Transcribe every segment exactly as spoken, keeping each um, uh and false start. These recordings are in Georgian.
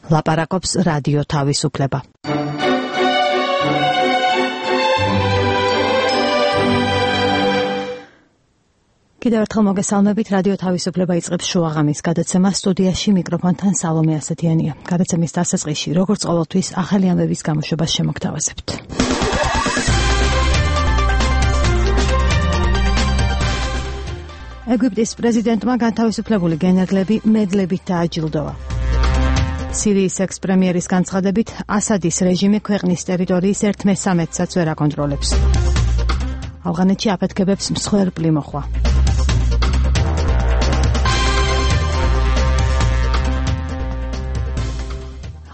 ლაპარაკობს რადიო თავისუფლება. კიდევ ერთხელ მოგესალმებით, რადიო თავისუფლება იწყებს შუაღამის გადაცემას, სტუდიაში მიკროფონთან სალომე ასეთიანია. გადაცემის დასაწყისში, როგორც ყოველთვის, ახალი ამბების გამოშვებას შემოგთავაზებთ. ეგვიპტის პრეზიდენტმა განთავისუფლებული გენერლები მედლებით დააჯილდოვა. სირიის ექს-პრემიერის განცხადებით, ასადის რეჟიმი ქვეყნის ტერიტორიის ერთ მესამედსაც ვერ აკონტროლებს. ავღანეთში აფეთქებებს მსხვერპლი მოხვა.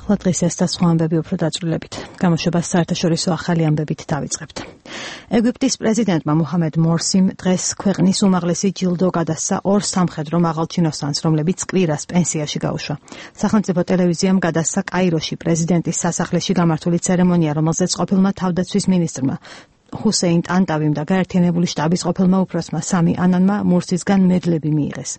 ახლა დღეს ეს და სხვა ამბები უფრო დაწვრილებით. გამოშვებას საერთაშორისო ახალი ამბებით დავიწყებთ. ეგვიპტის პრეზიდენტმა მუჰამედ მორსიმ დღეს ქვეყნის უმაღლესი ჯილდო გადასცა ორ სამხედრო მაღალჩინოსანს, რომლებიც კვირას პენსიაში გაუშვა. სახელმწიფო ტელევიზიამ გადასცა კაიროში პრეზიდენტის სასახლეში გამართული ცერემონია, რომელზეც ყოფილმა თავდაცვის მინისტრმა ჰუსეინ ტანტავიმ და გაერთიანებული შტაბის ყოფილმა უფროსმა სამი ანანმა მურსისგან მედლები მიიღეს.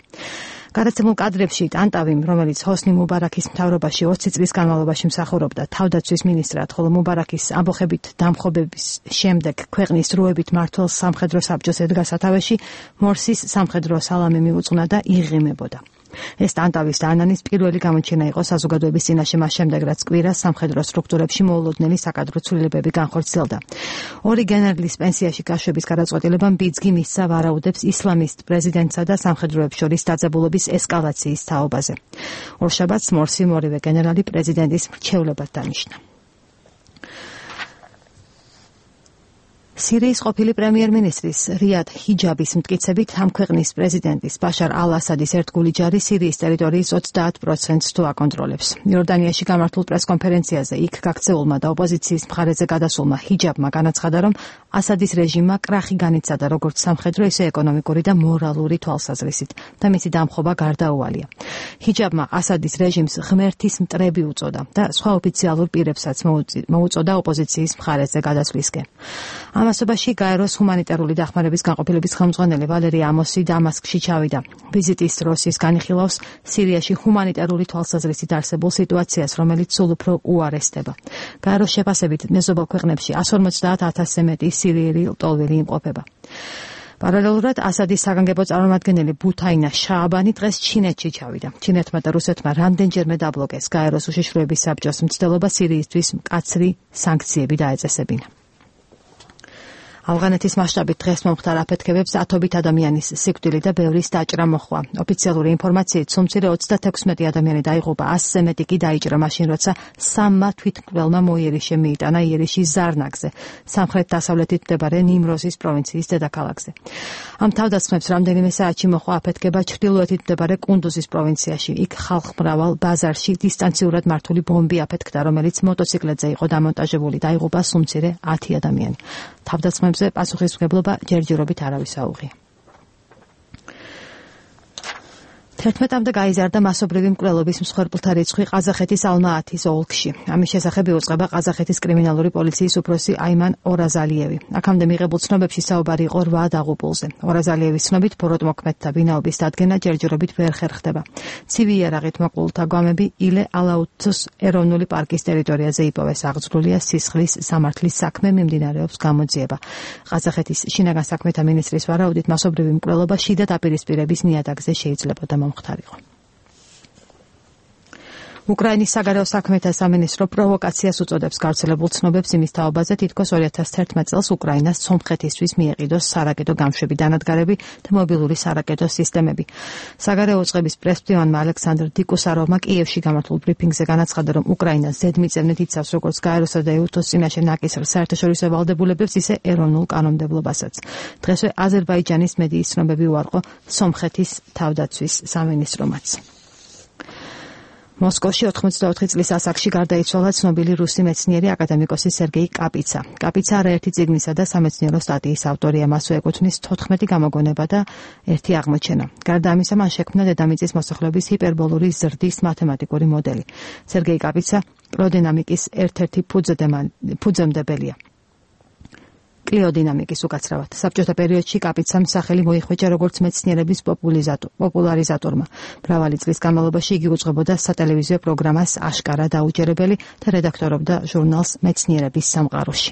გადაცემულ კადრებში ტანტავიმ, რომელიც ჰოსნი მუბარაქის მთავრობაში ოცი წლის განმავლობაში მსახურობდა თავდაცვის მინისტრად, ხოლო მუბარაქის ამბოხებით დამხობების შემდეგ ქვეყნის დროებით მმართველ სამხედრო საბჭოს ედგა სათავეში, მორსის სამხედრო სალამი მიუძღვნა და იღიმებოდა. ეს ტანტავის და ანანის პირველი გამოჩენა იყო საზოგადოების წინაშე მას შემდეგ, რაც კვირას სამხედრო სტრუქტურებში მოულოდნელი საკადრო ცვლილებები განხორციელდა. ორი გენერლის პენსიაში გაშვების გადაწყვეტილებამ ბიძგი მისცა ვარაუდებს ისლამისტ პრეზიდენტსა და სამხედროებს შორის დაძაბულობის ესკალაციის თაობაზე. ორშაბათს მორსიმ ორივე გენერალი პრეზიდენტის მრჩევლებად დანიშნა. სირიის ყოფილი პრემიერ-მინისტრის რიად ჰიჯაბის მტკიცებით, ამ ქვეყნის პრეზიდენტის ბაშარ ალ-ასადის ერთგული ჯარი სირიის ტერიტორიის ოცდაათ პროცენტს თუ აკონტროლებს. იორდანიაში გამართულ პრესკონფერენციაზე იქ გაქცეულმა და ოპოზიციის მხარეზე გადასულმა ჰიჯაბმა განაცხადა, რომ ასადის რეჟიმმა კრახი განიცადა როგორც სამხედრო, ისე ეკონომიკური და მორალური თვალსაზრისით და მისი დამხობა გარდაუვალია. ჰიჯაბმა ასადის რეჟიმს ღმერთის მტრები უწოდა და სხვა ოფიციალურ პირებსაც მოუწოდა ოპოზიციის მხარეზე გადასვლისკენ. ამასობაში გაეროს ჰუმანიტარული დახმარების განყოფილების ხელმძღვანელი ვალერი ამოსი დამასკში ჩავიდა. ვიზიტის დროს ის განიხილავს სირიაში ჰუმანიტარული თვალსაზრისით არსებულ სიტუაციას, რომელიც სულ უფრო უარესდება. გაეროს შეფასებით მეზობელ ქვეყნებში ას ორმოცდაათ ათასზე მეტი სირიელი ლტოლვილი იმყოფება. პარალელურად ასადის საგანგებო წარმომადგენელი ბუთაინა შააბანი დღეს ჩინეთში ჩავიდა. ჩინეთმა და რუსეთმა რამდენჯერმე დაბლოკეს გაეროს უშიშროების საბჭოს მცდელობა სირიისთვის მკაცრი სანქციები დაეწესებინა. ავღანეთის მასშტაბით დღეს მომხდარ აფეთქებებს ათობით ადამიანის სიკვდილი და ბევრის დაჭრა მოჰყვა. ოფიციალური ინფორმაციით სუმცირე ოცდათექვსმეტი ადამიანი დაიღუპა, ასზე მეტი კი დაიჭრა მაშინ, როცა სამმა თვითმკვლელმა მოიერიშე მიიტანა იერიშის ზარნაგზე, სამხრეთ-დასავლეთით მდებარე ნიმროზის პროვინციის დედაქალაქზე. ამ თავდასხმებს რამდენიმე საათში მოჰყვა აფეთქება ჩრდილოეთით მდებარე კუნდუზის პროვინციაში. იქ ხალხმრავალ ბაზარში დისტანციურად მართული ბომბი აფეთქდა, რომელიც მოტოციკლეტზე იყო დამონტაჟებული. დაიღუპა სუმცირე ათი ადამიანი. თავდასხმებზე პასუხისმგებლობა ჯერჯერობით არავის აუღია. თერთმეტამდე გაიზარდა მასობრივი მკვლელობის მსხვერპლთა რიცხვი ყაზახეთის ალმა-ათის ოლქში. ამის შესახებ იუწყება ყაზახეთის კრიმინალური პოლიციის უფროსი აიმან ორაზალიევი. აქამდე მიღებულ ცნობებში საუბარი იყო რვა დაღუპულზე. ორაზალიევის ცნობით, ბოროტმოქმედთა ვინაობის დადგენა ჯერჯერობით ვერ ხერხდება. ცივი იარაღით მოკლულთა გვამები ილე ალაუთის ეროვნული პარკის ტერიტორიაზე იპოვეს. აღძრულია სისხლის სამართლის საქმე მიმდინარეობს გამოძიება. ყაზახეთის შინაგან საქმეთა მინისტრის ვარაუდით, მასობრივი მკვლელობა შიდა დაპირისპირების ნიადაგზე შეიძლებოდა მომხდარიყო. უკრაინის საგარეო საქმეთა სამინისტრო პროვოკაციას უწოდებს გავრცელებულ ცნობებს იმის თაობაზე, თითქოს ორი ათას თერთმეტ წელს უკრაინას სომხეთისთვის მიეყიდოს სარაკეტო გამშვები დანადგარები და მობილური სარაკეტო სისტემები. საგარეო უწყების პრესმდივანმა ალექსანდრ დიკუსაროვმა კიევში გამართულ ბრიფინგზე განაცხადა, რომ უკრაინა ზედმიწევნით იცავს როგორც გაეროსა და ეუთოს წინაშე ნაკისრ საერთაშორისო ვალდებულებებს, ისე ეროვნულ კანონმდებლობასაც. დღესვე აზერბაიჯანის მედიის ცნობები უარყო სომხეთის თავდაცვის სამინისტრომაც. მოსკოვში ოთხმოცდაოთხი წლის ასაკში გარდაიცვალა ცნობილი რუსი მეცნიერი აკადემიკოსი სერგეი კაპიცა. კაპიცა არაერთი წიგნისა და სამეცნიერო სტატიის ავტორია, მასვე ეკუთვნის თოთხმეტი გამოგონება და ერთი აღმოჩენა. გარდა ამისა, მან შექმნა დედამიწის მოსახლეობის ჰიპერბოლური ზრდის მათემატიკური მოდელი. სერგეი კაპიცა პროდინამიკის ერთ-ერთი ფუძემდებელია. კლიოდინამიკის უკაცრავად. საბჭოთა პერიოდში კაპიცამ სახელი მოიხვეჭა როგორც მეცნიერების პოპულარიზატორმა. მრავალი წლის განმავლობაში იგი უძღვებოდა სატელევიზიო პროგრამას აშკარა დაუჯერებელი და რედაქტორობდა ჟურნალს მეცნიერების სამყაროში.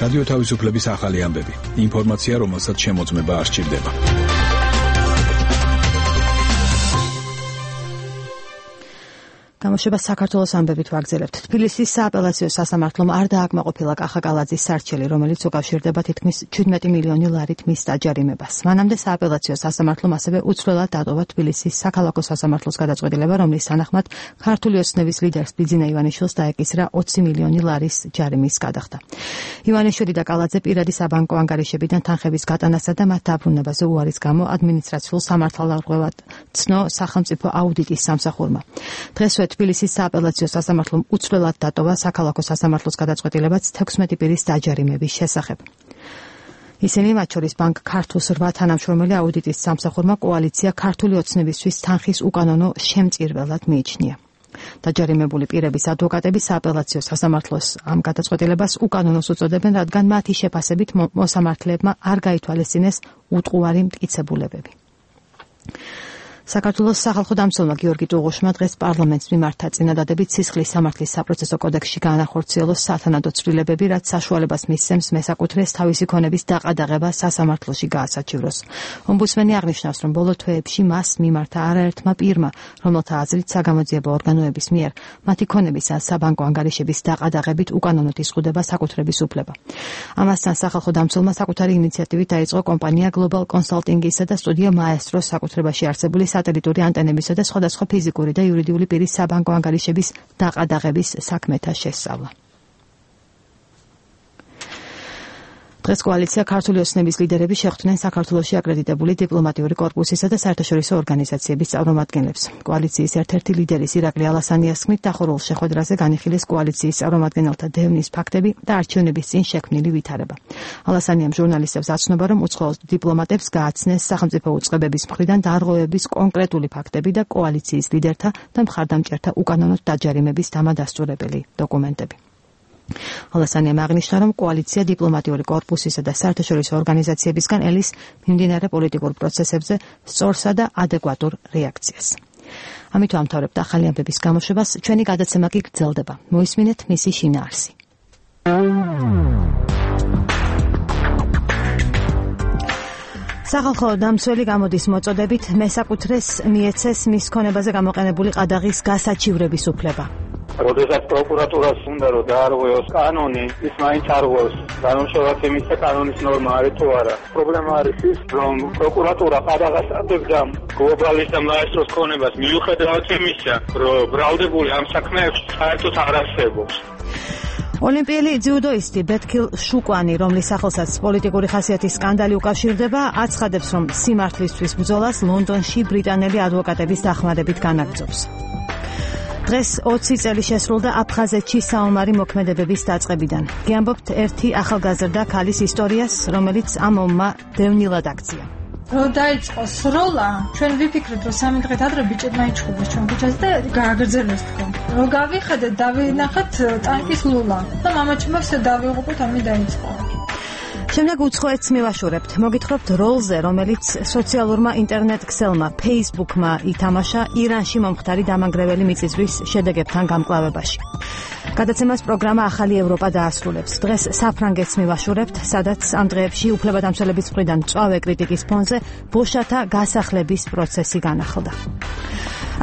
რადიო თავისუფლების ახალი ამბები. ინფორმაცია, რომელსაც შემოწმება არ სჭირდება. გამოშვება საქართველოს ამბებით ვაგრძელებთ. თბილისის სააპელაციო სასამართლომ არ დააკმაყოფილა კახაკალაძის სარჩელი, რომელიც უკავშირდება თითქმის შვიდმეტი მილიონი ლარით მის დაჯარიმებას. მანამდე სააპელაციო სასამართლომ ასევე უცვლელად დატოვა თბილისის საქალაქო სასამართლოს გადაწყვეტილება, რომლის თანახმად ქართული ოცნების ლიდერს ბიძინა ივანიშვილს დაეკისრა ოცი მილიონი ლარის ჯარიმის გადახდა. ივანიშვილი და კალაძე პირადი საბანკო ანგარიშებიდან თანხების გატანასა და მათ დაბრუნებაზე უარის გამო ადმინისტრაციულ სამართალდაღუებად ცნო სახელმწიფო აუდიტის სამსახურმა. დღესვე თბილისის სააპელაციო სასამართლომ უცვლელად დატოვა საქალაქო სასამართლოს გადაწყვეტილებაც თექვსმეტი პირის დაჯარიმების შესახებ. ისინი მათ შორის ბანკ ქართულს რვა თანამშრომელი აუდიტის სამსახურმა კოალიცია ქართული ოცნებისთვის თანხის უკანონო შემწირველად მიიჩნია. დაჯარიმებული პირების ადვოკატები სააპელაციო სასამართლოს ამ გადაწყვეტილებას უკანონოს უწოდებენ, რადგან მათი შეფასებით მოსამართლეებმა არ გაითვალისწინეს უტყუარი მტკიცებულებები. საქართველოს სახალხო დამცველმა გიორგი ტუღუშმა დღეს პარლამენტს მიმართა წინადადებით სისხლის სამართლის საპროცესო კოდექსში გაანახორციელოს სათანადო ცვლილებები, რაც საშუალებას მისცემს მესაკუთრეს თავისი ქონების დაყადაღება სასამართლოში გაასაჩივროს. ომბუდსმენი აღნიშნავს, რომ ბოლო თვეებში მას მიმართა არაერთმა პირმა, რომელთა აზრით საგამოძიებო ორგანოების მიერ მათი ქონების ან საბანკო ანგარიშების დაყადაღებით უკანონოდ იზღუდება საკუთრების უფლება. ამასთან სახალხო დამცველმა საკუთარი ინიციატივით დაიწყო კომპანია Global Consulting-ისა და სტუდია Maestro-ს საკუთრებაში არსებული სატელიტური ანტენებისა და სხვადასხვა ფიზიკური და იურიდიული პირის საბანკო ანგარიშების დაყადაღების საქმეთა შესწავლა. დღეს კოალიცია ქართული ოცნების ლიდერები შეხვდნენ საქართველოში აკრედიტებული დიპლომატიური კორპუსისა და საერთაშორისო ორგანიზაციების წარმომადგენლებს. კოალიციის ერთ-ერთი ლიდერის ირაკლი ალასანიას თქმით, დახურულ შეხვედრაზე განიხილეს კოალიციის წარმომადგენელთა დევნის ფაქტები და არჩევნების წინ შექმნილი ვითარება. ალასანიამ ჟურნალისტებს აცნობა, რომ უცხოელ დიპლომატებს გააცნეს სახელმწიფო უწყებების მხრიდან დარღვევების კონკრეტული ფაქტები და კოალიციის ლიდერთა და მხარდამჭერთა უკანონოდ დაჯარიმების დამადასტურებელი დოკუმენტები. ალასანიამ აღნიშნა, რომ კოალიცია დიპლომატიური კორპუსისა და საერთაშორისო ორგანიზაციებისგან ელის მიმდინარე პოლიტიკურ პროცესებზე სწორსა და ადეკვატურ რეაქციას. ამით ვამთავრებთ ახალი ამბების გამოშვებას, ჩვენი გადაცემა კი გრძელდება. მოისმინეთ მისი შინაარსი. სახალხო დამცველი გამოდის მოწოდებით მესაკუთრეს მიეცეს მის ქონებაზე გამოყენებული ყადაღის გასაჩივრების უფლება. როდესაც პროკურატურას უნდა რომ დაარღვევოს კანონი, ის მაინც არღვევს. განსხვავებით იმისა, კანონის ნორმა არის თუ არა. პრობლემა არის ის, რომ პროკურატურა ყადაღას ატებდა გლობალის და მაესტროს ქონებას, მიუხედავად იმისა, რომ ბრალდებული ამ საქმეებში საერთოდ არ არსებობს. ოლიმპიელი ძიუდოისტი ბეთქილ შუკვანი, რომლის სახელსაც პოლიტიკური ხასიათის სკანდალი უკავშირდება, აცხადებს, რომ სიმართლისთვის ბრძოლას ლონდონში ბრიტანელი ადვოკატების დახმარებით განაგრძობს. დღეს ოცი წელი შესრულდა აფხაზეთში საომარი მოქმედებების დაწყებიდან. გიამბობთ ერთი ახალგაზრდა ქალის ისტორიას, რომელიც ამ ომმა დევნილად აქცია. რო დაიწყო სროლა, ჩვენ ვიფიქრეთ, რომ სამი დღით ადრე ბიჭებმა იჩხუბოს ჩვენ ქუჩაზე და გააგრძელოს თქო. რო გავიხედეთ, დავინახეთ ტანკის ლულა და მამაჩემმა ვსე დავიღუპოთ, ამი დაიწყო. შემდეგ უცხოეთს მივაშურებთ. მოგითხრობთ როლზე, რომელიც სოციალურმა ინტერნეტ ქსელმა Facebook-მა ითამაშა ირანში მომხდარი დამანგრეველი მიწისძვრის შედეგებთან გამკლავებაში. გადაცემას პროგრამა ახალი ევროპა დაასრულებს. დღეს საფრანგეთს მივაშურებთ, სადაც ამ დღეებში უფლებადამცველების მხრიდან მწვავე კრიტიკის ფონზე ბოშათა გასახლების პროცესი განახლდა.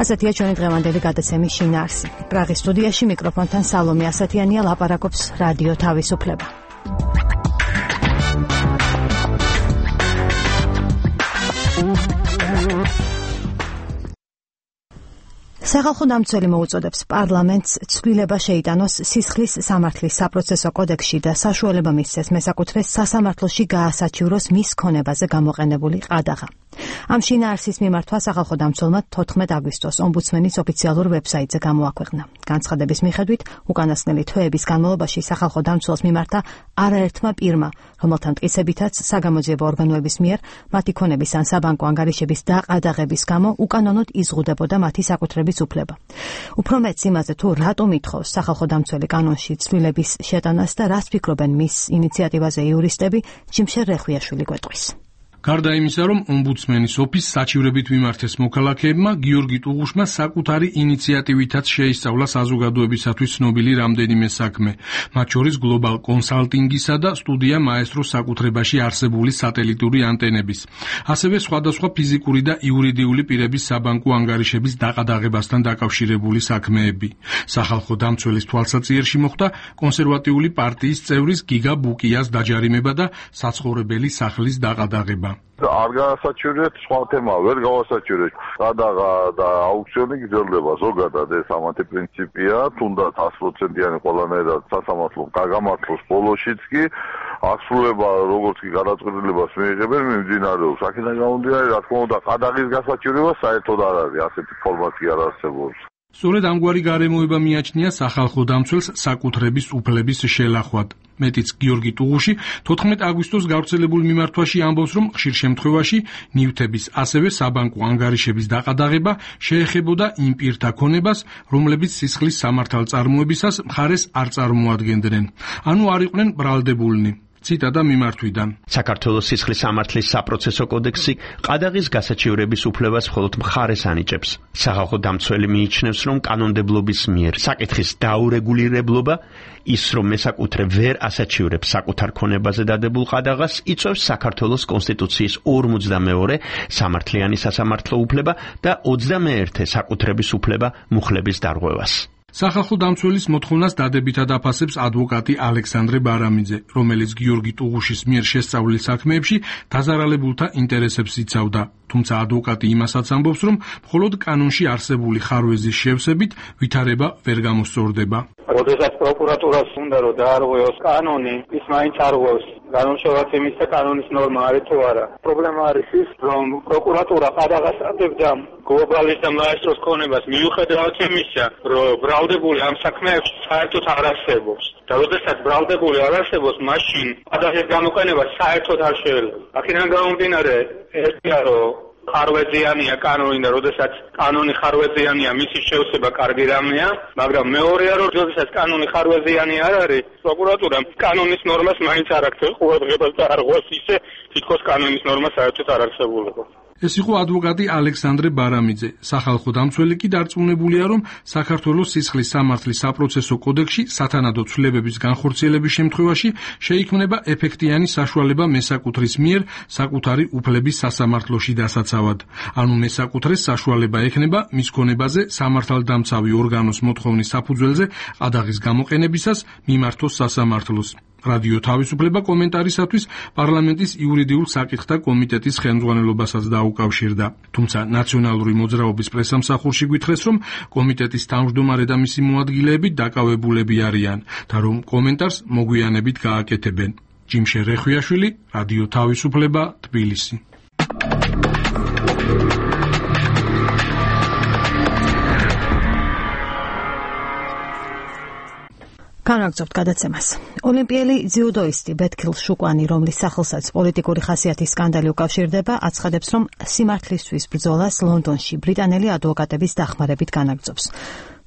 ასეთია ჩვენი დღევანდელი გადაცემის შინაარსი. პრაღის სტუდიაში მიკროფონთან სალომე ასათიანია, ლაპარაკობს რადიო თავისუფლება. სახალხო დამცველი მოუწოდებს პარლამენტს ცვლილება შეიტანოს სისხლის სამართლის საპროცესო კოდექსში და საშუალება მისცეს მესაკუთრეს სასამართლოში გაასაჩივროს მის ქონებაზე გამოყენებული ყადაღა. ამ შინაარსის მიმართვა სახალხო დამცველმა თოთხმეტ აგვისტოს ომბუდსმენის ოფიციალურ ვებსაიტზე გამოაქვეყნა. განცხადების მიხედვით, უკანასკნელი თვეების განმავლობაში სახალხო დამცველს მიმართა არაერთმა პირმა, რომელთა მტკიცებითაც საგამოძიებო ორგანოების მიერ მათი ქონების ან საბანკო ანგარიშების დაყადაღების გამო უკანონოდ იზღუდებოდა მათი საკუთრების უფლება. უფრო მეტს იმაზე თუ რატომ ითხოვს სახალხო დამცველი კანონში ცვლილების შეტანას და რას ფიქრობენ მის ინიციატივაზე იურისტები, ჯიმშერ რეხვიაშვილი გვეტყვის. გარდა იმისა, რომ ომბუდსმენის ოფისს საჩივრებით მიმართეს მოქალაქეებმა, გიორგი ტუღუშმა საკუთარი ინიციატივითაც შეისწავლა საზოგადოებისათვის ცნობილი რამდენიმე საქმე, მათ შორის გლობალ კონსალტინგისა და სტუდია მაესტროს საკუთრებაში არსებული სატელიტური ანტენების, ასევე სხვადასხვა ფიზიკური და იურიდიული პირების საბანკო ანგარიშების დაყადაღებასთან დაკავშირებული საქმეები. სახალხო დამცველის თვალსაჩინოში მოხდა კონსერვატიული პარტიის წევრის გიგა ბუკიას დაჯარიმება და საცხოვრებელი სახლის დაყადაღება. არ განასაჩივრეთ, სხვა თემა ვერ გავასაჩივრეთ. გადაღა და აუქციონი გრძელდება ზოგადად, ეს ამათი პრინციპია, თუნდაც sto პროცენტიანი ყველანაირად სასამართლომ გაგამართლოს ბოლოშიც კი ასრულება როგორც კი გადაწყვეტილებას მიიღებენ, მიმდინარეობს. აქედან გამომდინარე, რა თქმა უნდა, ყადაღის გასაჩივრება საერთოდ არ არის, ასეთი ფორმატი არ არსებობს. სწორედ ამგვარი გარემოება მიაჩნია სახალხო დამცველს საკუთრების უფლების შელახვად. მეტიც გიორგი ტუღუში თოთხმეტ აგვისტოს გავრცელებულ მიმართვაში ამბობს, რომ ხშირ შემთხვევაში ნივთების, ასევე საბანკო ანგარიშების დაყადაღება შეეხებოდა იმ პირთა ქონებას, რომლებიც სისხლის სამართალწარმოებისას მხარეს არ წარმოადგენდნენ, ანუ არ იყვნენ ბრალდებულნი. ციტატა მიმართვიდან. საქართველოს სისხლის სამართლის საპროცესო კოდექსი ყადაღის გასაჩივრების უფლებას მხოლოდ მხარეს ანიჭებს. სახალხო დამცველი მიიჩნევს, რომ კანონმდებლობის მიერ საკითხის დაურეგულირებლობა, ის რომ მესაკუთრე ვერ ასაჩივრებს საკუთარ ქონებაზე დადებულ ყადაღას, იწვევს საქართველოს კონსტიტუციის ორმოცდამეორე სამართლიანი სასამართლო უფლება და ოცდამეერთე საკუთრების უფლება მუხლების დარღვევას. სახალხო დამცველის მოთხოვნას დადებითად აფასებს ადვოკატი ალექსანდრე ბარამიძე, რომელიც გიორგი ტუღუშის მიერ შესწავლილ საქმეებში დაზარალებულთა ინტერესებს იცავდა. თუმცა ადვოკატი იმასაც ამბობს, რომ მხოლოდ კანონში არსებული ხარვეზის შევსებით ვითარება ვერ გამოსწორდება. როდესაც პროკურატურას უნდა რომ დაარღვევოს კანონი, ის მაინც არღვევს. განსხვავებით იმისა, კანონის ნორმა არის თუ არა. პრობლემა არის ის, რომ პროკურატურა ყადაღას ატევდა გლობალის და მაესტროს ქონებას მიუხედავად იმისა, რომ ბრალდებული ამ საქმეებში საერთოდ არ არსებობს. და როდესაც ბრალდებული არ არსებობს, მაშინ ყადაღის გამოყენება საერთოდ არ შეიძლება. აქედან გამომდინარე, ერთია რომ ხარვეზიანია კანონი და როდესაც კანონი ხარვეზიანია, მისი შევსება კარგი რამეა, მაგრამ მეორეა რომ როდესაც კანონი ხარვეზიანი არ არის, პროკურატურა კანონის ნორმას მაინც არ აქცევს ყურადღებას და არ ღვევს ისე, თითქოს კანონის ნორმა საერთოდ არ არსებულიყო. ეს იყო ადვოკატი ალექსანდრე ბარამიძე. სახალხო დამცველი კი დარწმუნებულია, რომ საქართველოს სისხლის სამართლის საპროცესო კოდექსში სათანადო ცვლილებების განხორციელების შემთხვევაში შეიქმნება ეფექტიანი საშუალება მესაკუთრის მიერ საკუთარი უფლების სასამართლოში დასაცავად. ანუ მესაკუთრეს საშუალება ექნება მის ქონებაზე სამართალდამცავი ორგანოს მოთხოვნის საფუძველზე ყადაღის გამოყენებისას მიმართოს სასამართლოს. რადიო თავისუფლება კომენტარისათვის პარლამენტის იურიდიულ საკითხთა კომიტეტის ხელმძღვანელობასაც დაუკავშირდა. თუმცა ნაციონალური მოძრაობის პრესამსახურში გვითხრეს, რომ კომიტეტის თავმჯდომარე და მისი მოადგილეები დაკავებულები არიან და რომ კომენტარს მოგვიანებით გააკეთებენ. ჯიმშერ რეხვიაშვილი, რადიო თავისუფლება, თბილისი. განაგრძობთ გადაცემას. ოლიმპიელი ძიუდოისტი ბეთქილ შუკვანი, რომლის სახელსაც პოლიტიკური ხასიათის სკანდალი უკავშირდება, აცხადებს, რომ სიმართლისთვის ბრძოლას ლონდონში ბრიტანელი ადვოკატების დახმარებით განაგრძობს.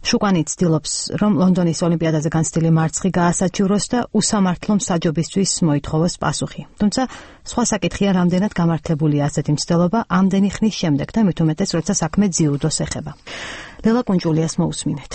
შუკვანი ცდილობს, რომ ლონდონის ოლიმპიადაზე განცდილი მარცხი გაასაჩივროს და უსამართლო მსაჯობისთვის მოითხოვოს პასუხი. თუმცა სხვა საკითხია, რამდენად გამართლებულია ასეთი მცდელობა ამდენი ხნის შემდეგ და მით უმეტეს, როცა საქმე ძიუდოს ეხება. ლელა კუნჭულიას მოусმინეთ.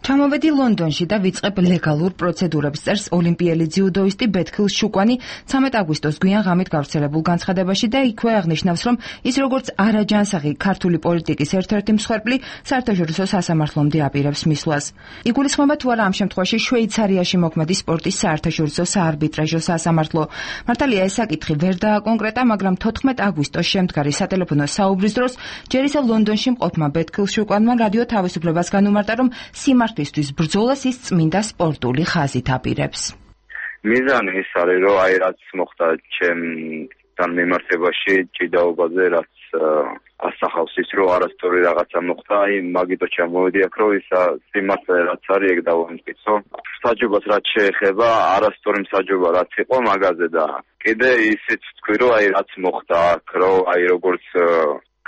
ჩამოვედი ლონდონში და ვიწყებ ლეგალურ პროცედურებს, წერს ოლიმპიელი ძიუდოისტი ბეთქილ შუკვანი ცამეტ აგვისტოს გვიან ღამით გავრცელებულ განცხადებაში და იქვე აღნიშნავს, რომ ის როგორც არაჯანსაღი ქართული პოლიტიკის ერთ-ერთი მსხვერპლი საერთაშორისო სასამართლომდე აპირებს მისვლას. იგულისხმება თუ არა ამ შემთხვევაში შვეიცარიაში მოქმედი სპორტის საერთაშორისო საარბიტრაჟო სასამართლო. მართალია ეს საკითხი ვერ დააკონკრეტა, მაგრამ თოთხმეტ აგვისტოს შემდგარი სატელეფონო საუბრის დროს ჯერ ისევ ლონდონში მყოფმა ბეთქილ შუკვანმა რადიო თავისუფლებას განუმარტა, რომ სიმართლისთვის ბრძოლას ის წმინდა სპორტული ხაზით აპირებს. მიზანი ის არის, რომ აი რაც მოხდა ჩემთან მიმართებაში ჭიდაობაზე, რაც ასახავს ის, რომ არასწორი რაღაცა მოხდა, აი მაგიტო ჩამოვედი აქ, რომ ისა სიმართლე რაც არის, ეგ დავამტკიცო. საჯობას რაც შეეხება, არასწორი მსაჯობა რაც იყო მაგაზე და კიდე ისიც თქვი, რომ აი რაც მოხდა აქ, რომ აი როგორც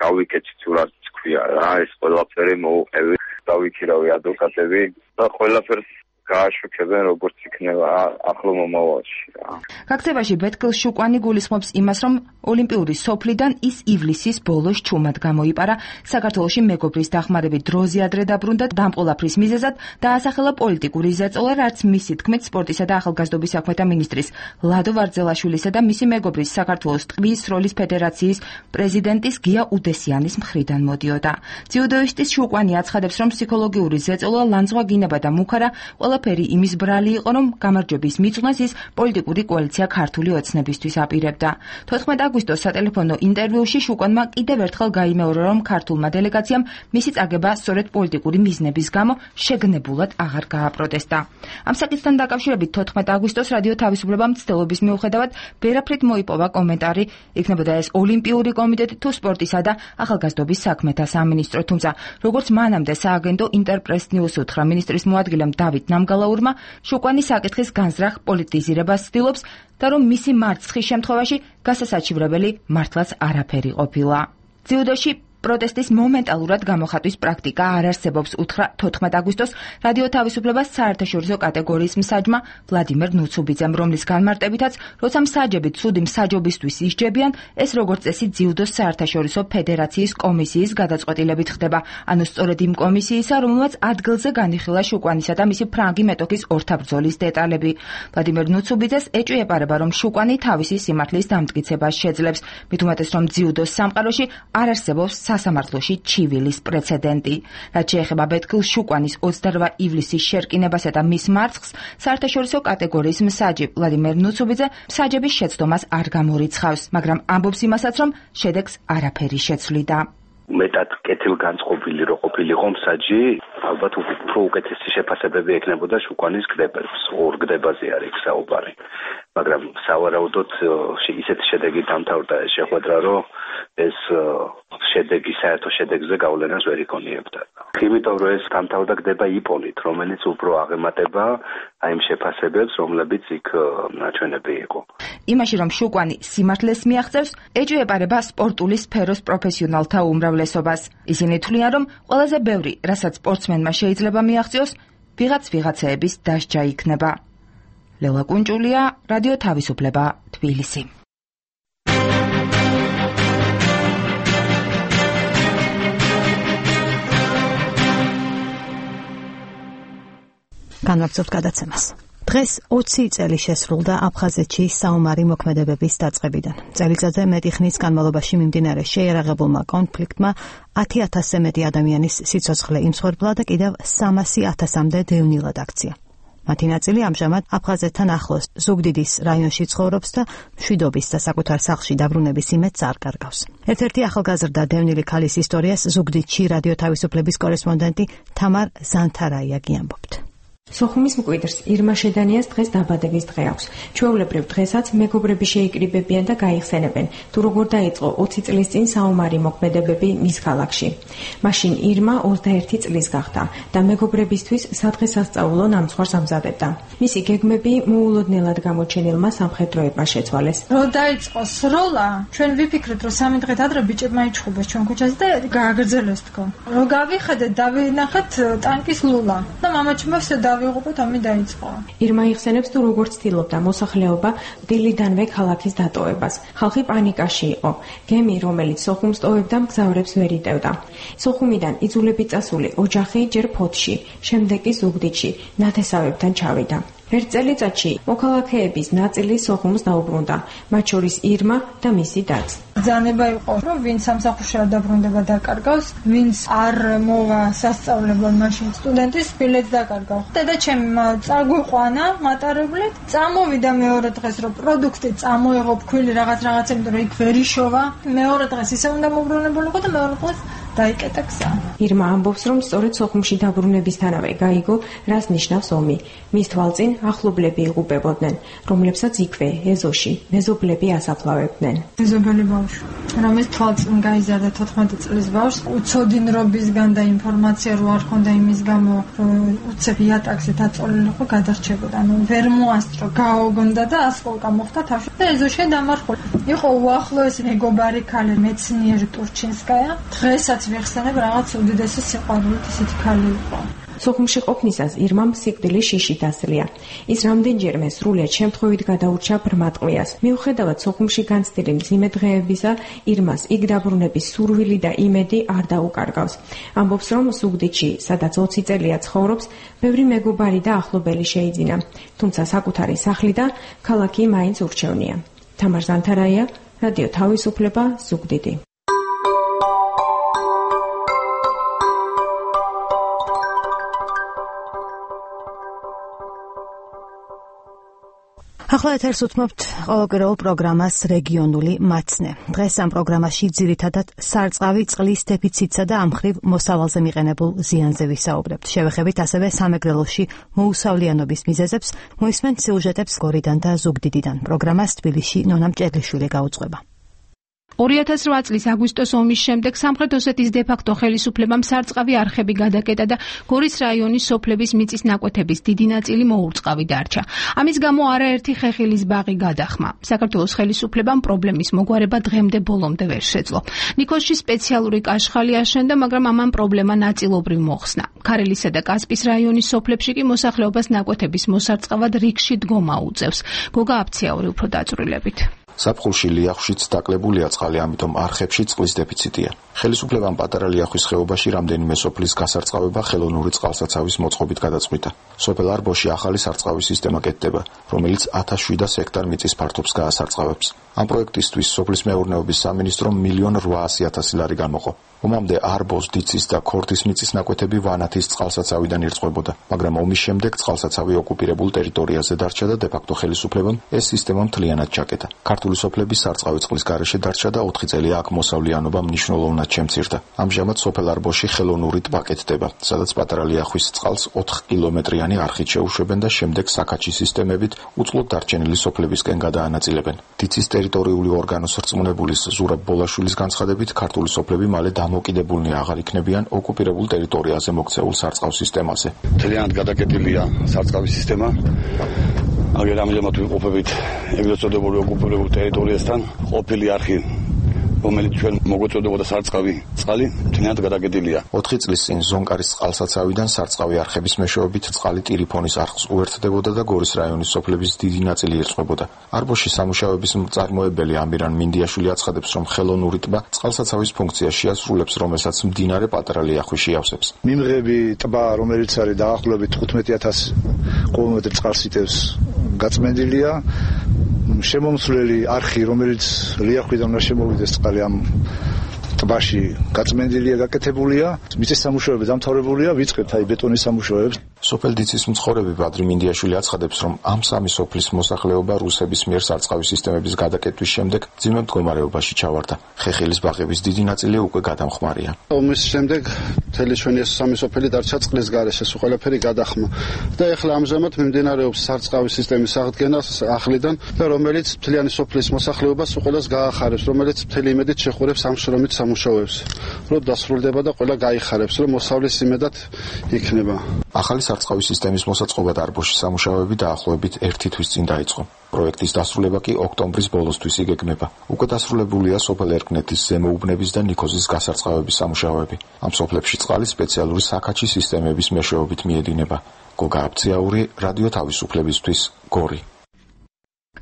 გავიკეთეთ თუ რაც თქვია რა, ეს ყველაფერი მოუყევი, დავიქირავი ადვოკატები და ყველაფერს გააშუქებენ როგორც იქნება ახლო მომავალში რა. გაქცევაში ბეთქილ შუკვანი გულისხმობს იმას, რომ ოლიმპიური სოფლიდან ის ივლისის ბოლოს ჩუმად გამოიპარა, საქართველოში მეგობრის დახმარებით დროზე ადრე დაბრუნდა, დამყოლაფრის მიზეზად დაასახელა პოლიტიკური ზეწოლა, რაც მისი თქმით სპორტისა და ახალგაზრდობის საქმეთა მინისტრის ლადო ვარძელაშვილისა და მისი მეგობრის საქართველოს ტყვის როლის ფედერაციის პრეზიდენტის გია უდესიანის მხრიდან მოდიოდა. ძიუდოისტის შუკვანი აცხადებს, რომ ფსიქოლოგიური ზეწოლა, ლანძღვა, გინება და მუქარა ყველაფერი იმის ბრალი იყო, რომ გამარჯვების მიწვნას ის პოლიტიკური კოალიცია ქართული ოცნებისთვის აპირებდა. თოთხმეტ აგვისტოს სატელეფონო ინტერვიუში შუკვანმა კიდევ ერთხელ გაიმეორა, რომ ქართულმა დელეგაციამ მისი წაგება სწორედ პოლიტიკური მიზნების გამო შეგნებულად აღარ გააპროტესტა. ამ საკითხთან დაკავშირებით თოთხმეტ აგვისტოს რადიო თავისუფლება მცდელობის მიუხედავად ვერაფრით მოიპოვა კომენტარი, იქნებოდა ეს ოლიმპიური კომიტეტი თუ სპორტისა და ახალგაზრდობის საქმეთა სამინისტრო, თუმცა როგორც მანამდე სააგენტო ინტერპრეს ნიუს უთხრა მინისტრის მოადგილემ დავით ნამგალაურმა, შუკვანი საკითხის განზრახ პოლიტიზირებას ცდილობს და რომ მისი მარცხის შემთხვევაში გასასაჩივრებელი მართლაც არაფერი ყოფილა. ძიუდოში პროტესტის მომენტალურად გამოხატვის პრაქტიკა არ არსებობს, უთხრა თოთხმეტ აგვისტოს რადიო თავისუფლებას საერთაშორისო კატეგორიის მსაჯმა ვლადიმერ ნუცუბიძემ, რომლის განმარტებითაც, როცა მსაჯები ცუდი მსაჯობისთვის ისჯებიან, ეს როგორც წესი ძიუდოს საერთაშორისო ფედერაციის კომისიის გადაწყვეტილებით ხდება, ანუ სწორედ იმ კომისიისა, რომელმაც ადგილზე განიხილა შუკვანისა და მისი ფრანგი მეტოქის ორთაბრძოლის დეტალები. ვლადიმერ ნუცუბიძეს ეჭვი ეპარება, რომ შუკვანი თავისი სიმართლის დამტკიცებას შეძლებს, მით უმეტეს, რომ ძიუდოს სამყაროში არ არსებობს სასამართლოში ჩივილის პრეცედენტი. რაც შეეხება ბეთქილ შუკვანის ოცდარვა ივლისის შერკინებასა და მის მარცხს, საერთაშორისო კატეგორიის მსაჯი ვლადიმერ ნუცუბიძე მსაჯების შეცდომას არ გამორიცხავს, მაგრამ ამბობს იმასაც, რომ შედეგს არაფერი შეცვლიდა. მეტად კეთილგანწყობილი რო ყოფილიყო მსაჯი, ალბათ უფრო უკეთესი შეფასებები ექნებოდა შუკვანის გდებებს, ორ გდებაზე არის საუბარი. მაგრამ სავარაუდოდ ისეთი შედეგი დამთავრდა ეს შეხვედრა, რომ ეს შედეგი საერთო შედეგზე გავლენას ვერ იქონიებდა. იმიტომ რომ ეს დამთავრდა გდება იპონით, რომელიც უფრო აღემატება აი იმ შეფასებებს, რომლებიც იქ ნაჩვენები იყო. იმაში რომ შუკვანი სიმართლეს მიაღწევს, ეჭვი ეპარება სპორტული სფეროს პროფესიონალთა უმრავლესობას. ისინი თვლიან, რომ ყველაზე ბევრი, რასაც სპორტსმენმა შეიძლება მიაღწიოს, ვიღაც ვიღაცეების დასჯა იქნება. ლელა კუნჭულია, რადიო თავისუფლება, თბილისი. განვაგრძობთ გადაცემას. დღეს ოცი წელი შესრულდა აფხაზეთში საომარი მოქმედებების დაწყებიდან. წელიწადზე მეტი ხნის განმავლობაში მიმდინარე შეიარაღებულმა კონფლიქტმა ათი ათასზე მეტი ადამიანის სიცოცხლე იმსხვერპლა და კიდევ სამასი ათასამდე დევნილად აქცია. მათი ნაწილი ამჟამად აფხაზეთთან ახლოს ზუგდიდის რაიონში ცხოვრობს და მშვიდობის და საკუთარ სახლში დაბრუნების იმედს არ კარგავს. ერთ-ერთი ახალგაზრდა დევნილი ქალის ისტორიას ზუგდიდში რადიო თავისუფლების კორესპონდენტი თამარ ზანთარაიაგი ამბობთ. სოხუმის მკვიდრს ირმა შედანიას დღეს დაბადების დღე აქვს. ჩვეულებრივ დღესაც მეგობრები შეიკრიბებიან და გაიხსენებენ, თუ როგორ დაიწყო ოცი წლის წინ საომარი მოქმედებები მის ქალაქში. მაშინ ირმა ოცდაერთი წლის გახდა და მეგობრებისთვის სადღესასწაულო ნამცხვარს ამზადებდა. მისი გეგმები მოულოდნელად გამოჩენილმა სამხედროებმა შეცვალეს. რო დაიწყო სროლა, ჩვენ ვიფიქრეთ, რომ სამი დღით ადრე ბიჭებმა იჩხუბეს ჩვენ ქუჩაზე და გააგრძელეს თქო. რო გავიხედეთ, დავინახეთ ტანკის ლულა და მამაჩემს დავიღუპოთ, ამი დაიწყო. ირმა იხსენებს, თუ როგორ ცდილობდა მოსახლეობა დილიდანვე ქალაქის დატოვებას. ხალხი პანიკაში იყო. გემი, რომელიც სოხუმს ტოვებდა, მგზავრებს ვერ იტევდა. სოხუმიდან იძულებით წასული ოჯახი ჯერ ფოთში, შემდეგ კი ზუგდიდში ნათესავებთან ჩავიდა. ერთ წელიწადში მოქალაქეების ნაწილი სოხუმს დაუბრუნდა, მათ შორის ირმა და მისი დაც. ბრძანება იყო, რომ ვინც სამსახურში არ დაბრუნდება დაკარგავს, ვინც არ მოვა სასწავლებლად, მაშინ სტუდენტის ბილეთს დაკარგავ. დედაჩემი წაგვიყვანა მატარებლით, წამოვიდა მეორე დღეს, რომ პროდუქტი წამოიღო ფქვილი რაღაც რაღაცა, იმიტომ რომ იქ ვერ იშოვა. მეორე დღეს ისე უნდა მოbrunებულიყო და მეორე დღეს დაიკეტა გზა. ირმა ამბობს, რომ სწორედ სოხუმში დაბრუნებისთანავე გაიგო, რას ნიშნავს ომი. მის თვალწინ ახლობლები იღუპებოდნენ, რომლებსაც იქვე, ეზოში, მეზობლები ასაფლავებდნენ. მეზობელი ბავშვი, რომელიც თვალწინ გაიზარდა თოთხმეტი წლის ბავშვს, უცოდინრობისგან და ინფორმაცია რო არ ქონდა იმის გამო, რომ უცებ იატაკზე დაწოლილი იყო, გადარჩებოდა. ანუ ვერ მოასწრო, გაოგონდა და ასკოლკა მოხდა თავში და ეზოში დამარხული. იყო უახლოესი მეგობარი ქალი მეცნიერი ტურჩინსკაია. დღესაც ვიხსენებ, რაღაც უდიდესი სიყვარულით ისეთი ქალი იყო. სოხუმში ყოფნისას ირმამ სიკვდილის შიში დასლია. ის რამდენჯერმე სრულიად შემთხვევით გადაურჩა ბრმატყუიას. მიუხედავად სოხუმში განცდილი მძიმე დღეებისა, ირმას იქ დაბრუნების სურვილი და იმედი არ დაუკარგავს. ამბობს, რომ ზუგდიდში, სადაც ოცი წელია ცხოვრობს, ბევრი მეგობარი და ახლობელი შეიძინა. თუმცა საკუთარი სახლი და ქალაქი მაინც ურჩევნია. თამარ ზანთარაია, რადიო თავისუფლება, ზუგდიდი. ახლა ეთერს უთმობთ ყოველკვირეულ პროგრამას რეგიონული მაცნე. დღეს ამ პროგრამაში ძირითადად სარწყავი წყლის დეფიციტსა და ამ მხრივ მოსავალზე მიყენებულ ზიანზე ვისაუბრებთ. შევეხებით ასევე სამეგრელოში მოუსავლიანობის მიზეზებს, მოისმენთ სიუჟეტებს გორიდან და ზუგდიდიდან. პროგრამას თბილისში ნონა მჭედლიშვილი გაუძღვება. ორი ათას რვა წლის აგვისტოს ომის შემდეგ სამხრეთ ოსეთის დე-ფაქტო ხელისუფლებამ სარწყავი არხები გადაკეტა და გორის რაიონის სოფლების მიწის ნაკვეთების დიდი ნაწილი მოურწყავი დარჩა. ამის გამო არაერთი ხეხილის ბაღი გადახმა. საქართველოს ხელისუფლებამ პრობლემის მოგვარება დღემდე ბოლომდე ვერ შეძლო. ნიქოზში სპეციალური კაშხალი აშენდა, მაგრამ ამან პრობლემა ნაწილობრივ მოხსნა. ქარელისა და კასპის რაიონის სოფლებში კი მოსახლეობას ნაკვეთების მოსარწყავად რიგში დგომა უწევს. გოგა აფციაური უფრო დაწვრილებით. საფხულში ლიახვშიც დაკლებულია წყალი, ამიტომ არხებში წყლის დეფიციტია. ხელისუფლებამ პატარა ლიახვის ხეობაში რამდენიმე სოფლის გასარწყავება ხელოვნური წყალსაცავის მოწყობით გადაწყვიტა. სოფელ არბოში ახალი სარწყავი სისტემა კეთდება, რომელიც ათას შვიდას ჰექტარ მიწის ფართობს გაასარწყავებს. ამ პროექტისთვის სოფლის მეურნეობის სამინისტრომ მილიონ რვაასი ათასი ლარი გამოყო. ომამდე არბოს, დიცის და ქორთის მიწის ნაკვეთები ვანათის წყალსაცავიდან ირწყვებოდა, მაგრამ ომის შემდეგ წყალსაცავი ოკუპირებულ ტერიტორიაზე დარჩა და დე-ფაქტო ხელისუფლებამ ეს სისტემა მთლიანად ჩაკეტა. ქართული სოფლების სარწყავი წყლის გარეშე დარჩა და ოთხი წელია აქ მოსავლიანობა მნიშვნელოვნად შემცირდა. ამჟამად სოფელ არბოში ხელოვნური ტბა კეთდება, სადაც პატარა ლიახვის წყალს ოთხ კილომეტრიანი არხით შეუშვებენ და შემდეგ საქაჩი სისტემებით უწყლოდ დარჩენილი სოფლებისკენ გადაანაწილებენ. დიცის ტერიტორიული ორგანოს რწმუნებულის ზურაბ ბოლაშვილის განცხადებით, ქართული სოფლები მალე დამოკიდებულნი აღარ იქნებიან ოკუპირებულ ტერიტორიაზე მოქცეულ სარწყავ სისტემაზე. მთლიანად გადაკეტილია სარწყავი სისტემა. აგერ ამჟამად ვიყოფებით ეგრეთ წოდებული ოკუპირებულ ტერიტორიასთან, ყოფილი არხი, რომელიც ჩვენ მოგვეწოდებოდა სარწყავი წყალი, მთლიანად გადაკეტილია. ოთხი წლის წინ ზონკარის წყალსაცავიდან სარწყავი არხების მეშვეობით წყალი ტირიფონის არხს უერთდებოდა და გორის რაიონის სოფლების დიდი ნაწილი ირწყვებოდა. არბოში სამუშაოების მწარმოებელი ამირან მინდიაშვილი აცხადებს, რომ ხელოვნური ტბა წყალსაცავის ფუნქციას შეასრულებს, რომელსაც მდინარე პატარა ლიახვი შეავსებს. მიმღები ტბა, რომელიც არის დაახლოებით თხუთმეტი ათასი კუბომეტრი წყალს იტევს, გაწმენდილია. შემომსვლელი არხი, რომელიც ლიახვიდან უნდა შემოვიდეს წყალი ამ ტბაში გაწმენდილია, გაკეთებულია, მიწის სამუშაოები დამთავრებულია, ვიწყებთ აი ბეტონის სამუშაოებს. სოფელ დიცის მცხოვრები ბადრი მინდიაშვილი აცხადებს, რომ ამ სამი სოფლის მოსახლეობა რუსების მიერ სარწყავი სისტემების გადაკეტვის შემდეგ ძიმე მდგომარეობაში ჩავარდა. ხეხილის ბაღების დიდი ნაწილი უკვე გადამხმარია. ომის შემდეგ მთელი ჩვენი ეს სამი სოფელი დარჩა წყლის გარეშე, ეს ყველაფერი გადახმა. და ეხლა ამჟამად მიმდინარეობს სარწყავი სისტემის აღდგენა ახლიდან და რომელიც მთლიანი სოფლის მოსახლეობას უყოლას გაახარებს, რომელიც მთელი იმედით შეხურებს ამ შრომით სამუშაოებს. რომ დასრულდება და ყველა გაიხარებს, რომ მოსავლის იმედად იქნება. ახალი სარწყავი სისტემის მოსაწყობა არბოში სამუშაოები დაახლოებით ერთი თვის წინ დაიწყო. პროექტის დასრულება კი ოქტომბრის ბოლოსთვის იგეგმება. უკვე დასრულებულია სოფელ ერკნეთის ზემოუბნების და ნიქოზის გასარწყავების სამუშაოები. ამ სოფლებში წყალი სპეციალური საქაჩი სისტემების მეშვეობით მიედინება. გოგა აფციაური, რადიო თავისუფლებისთვის, გორი.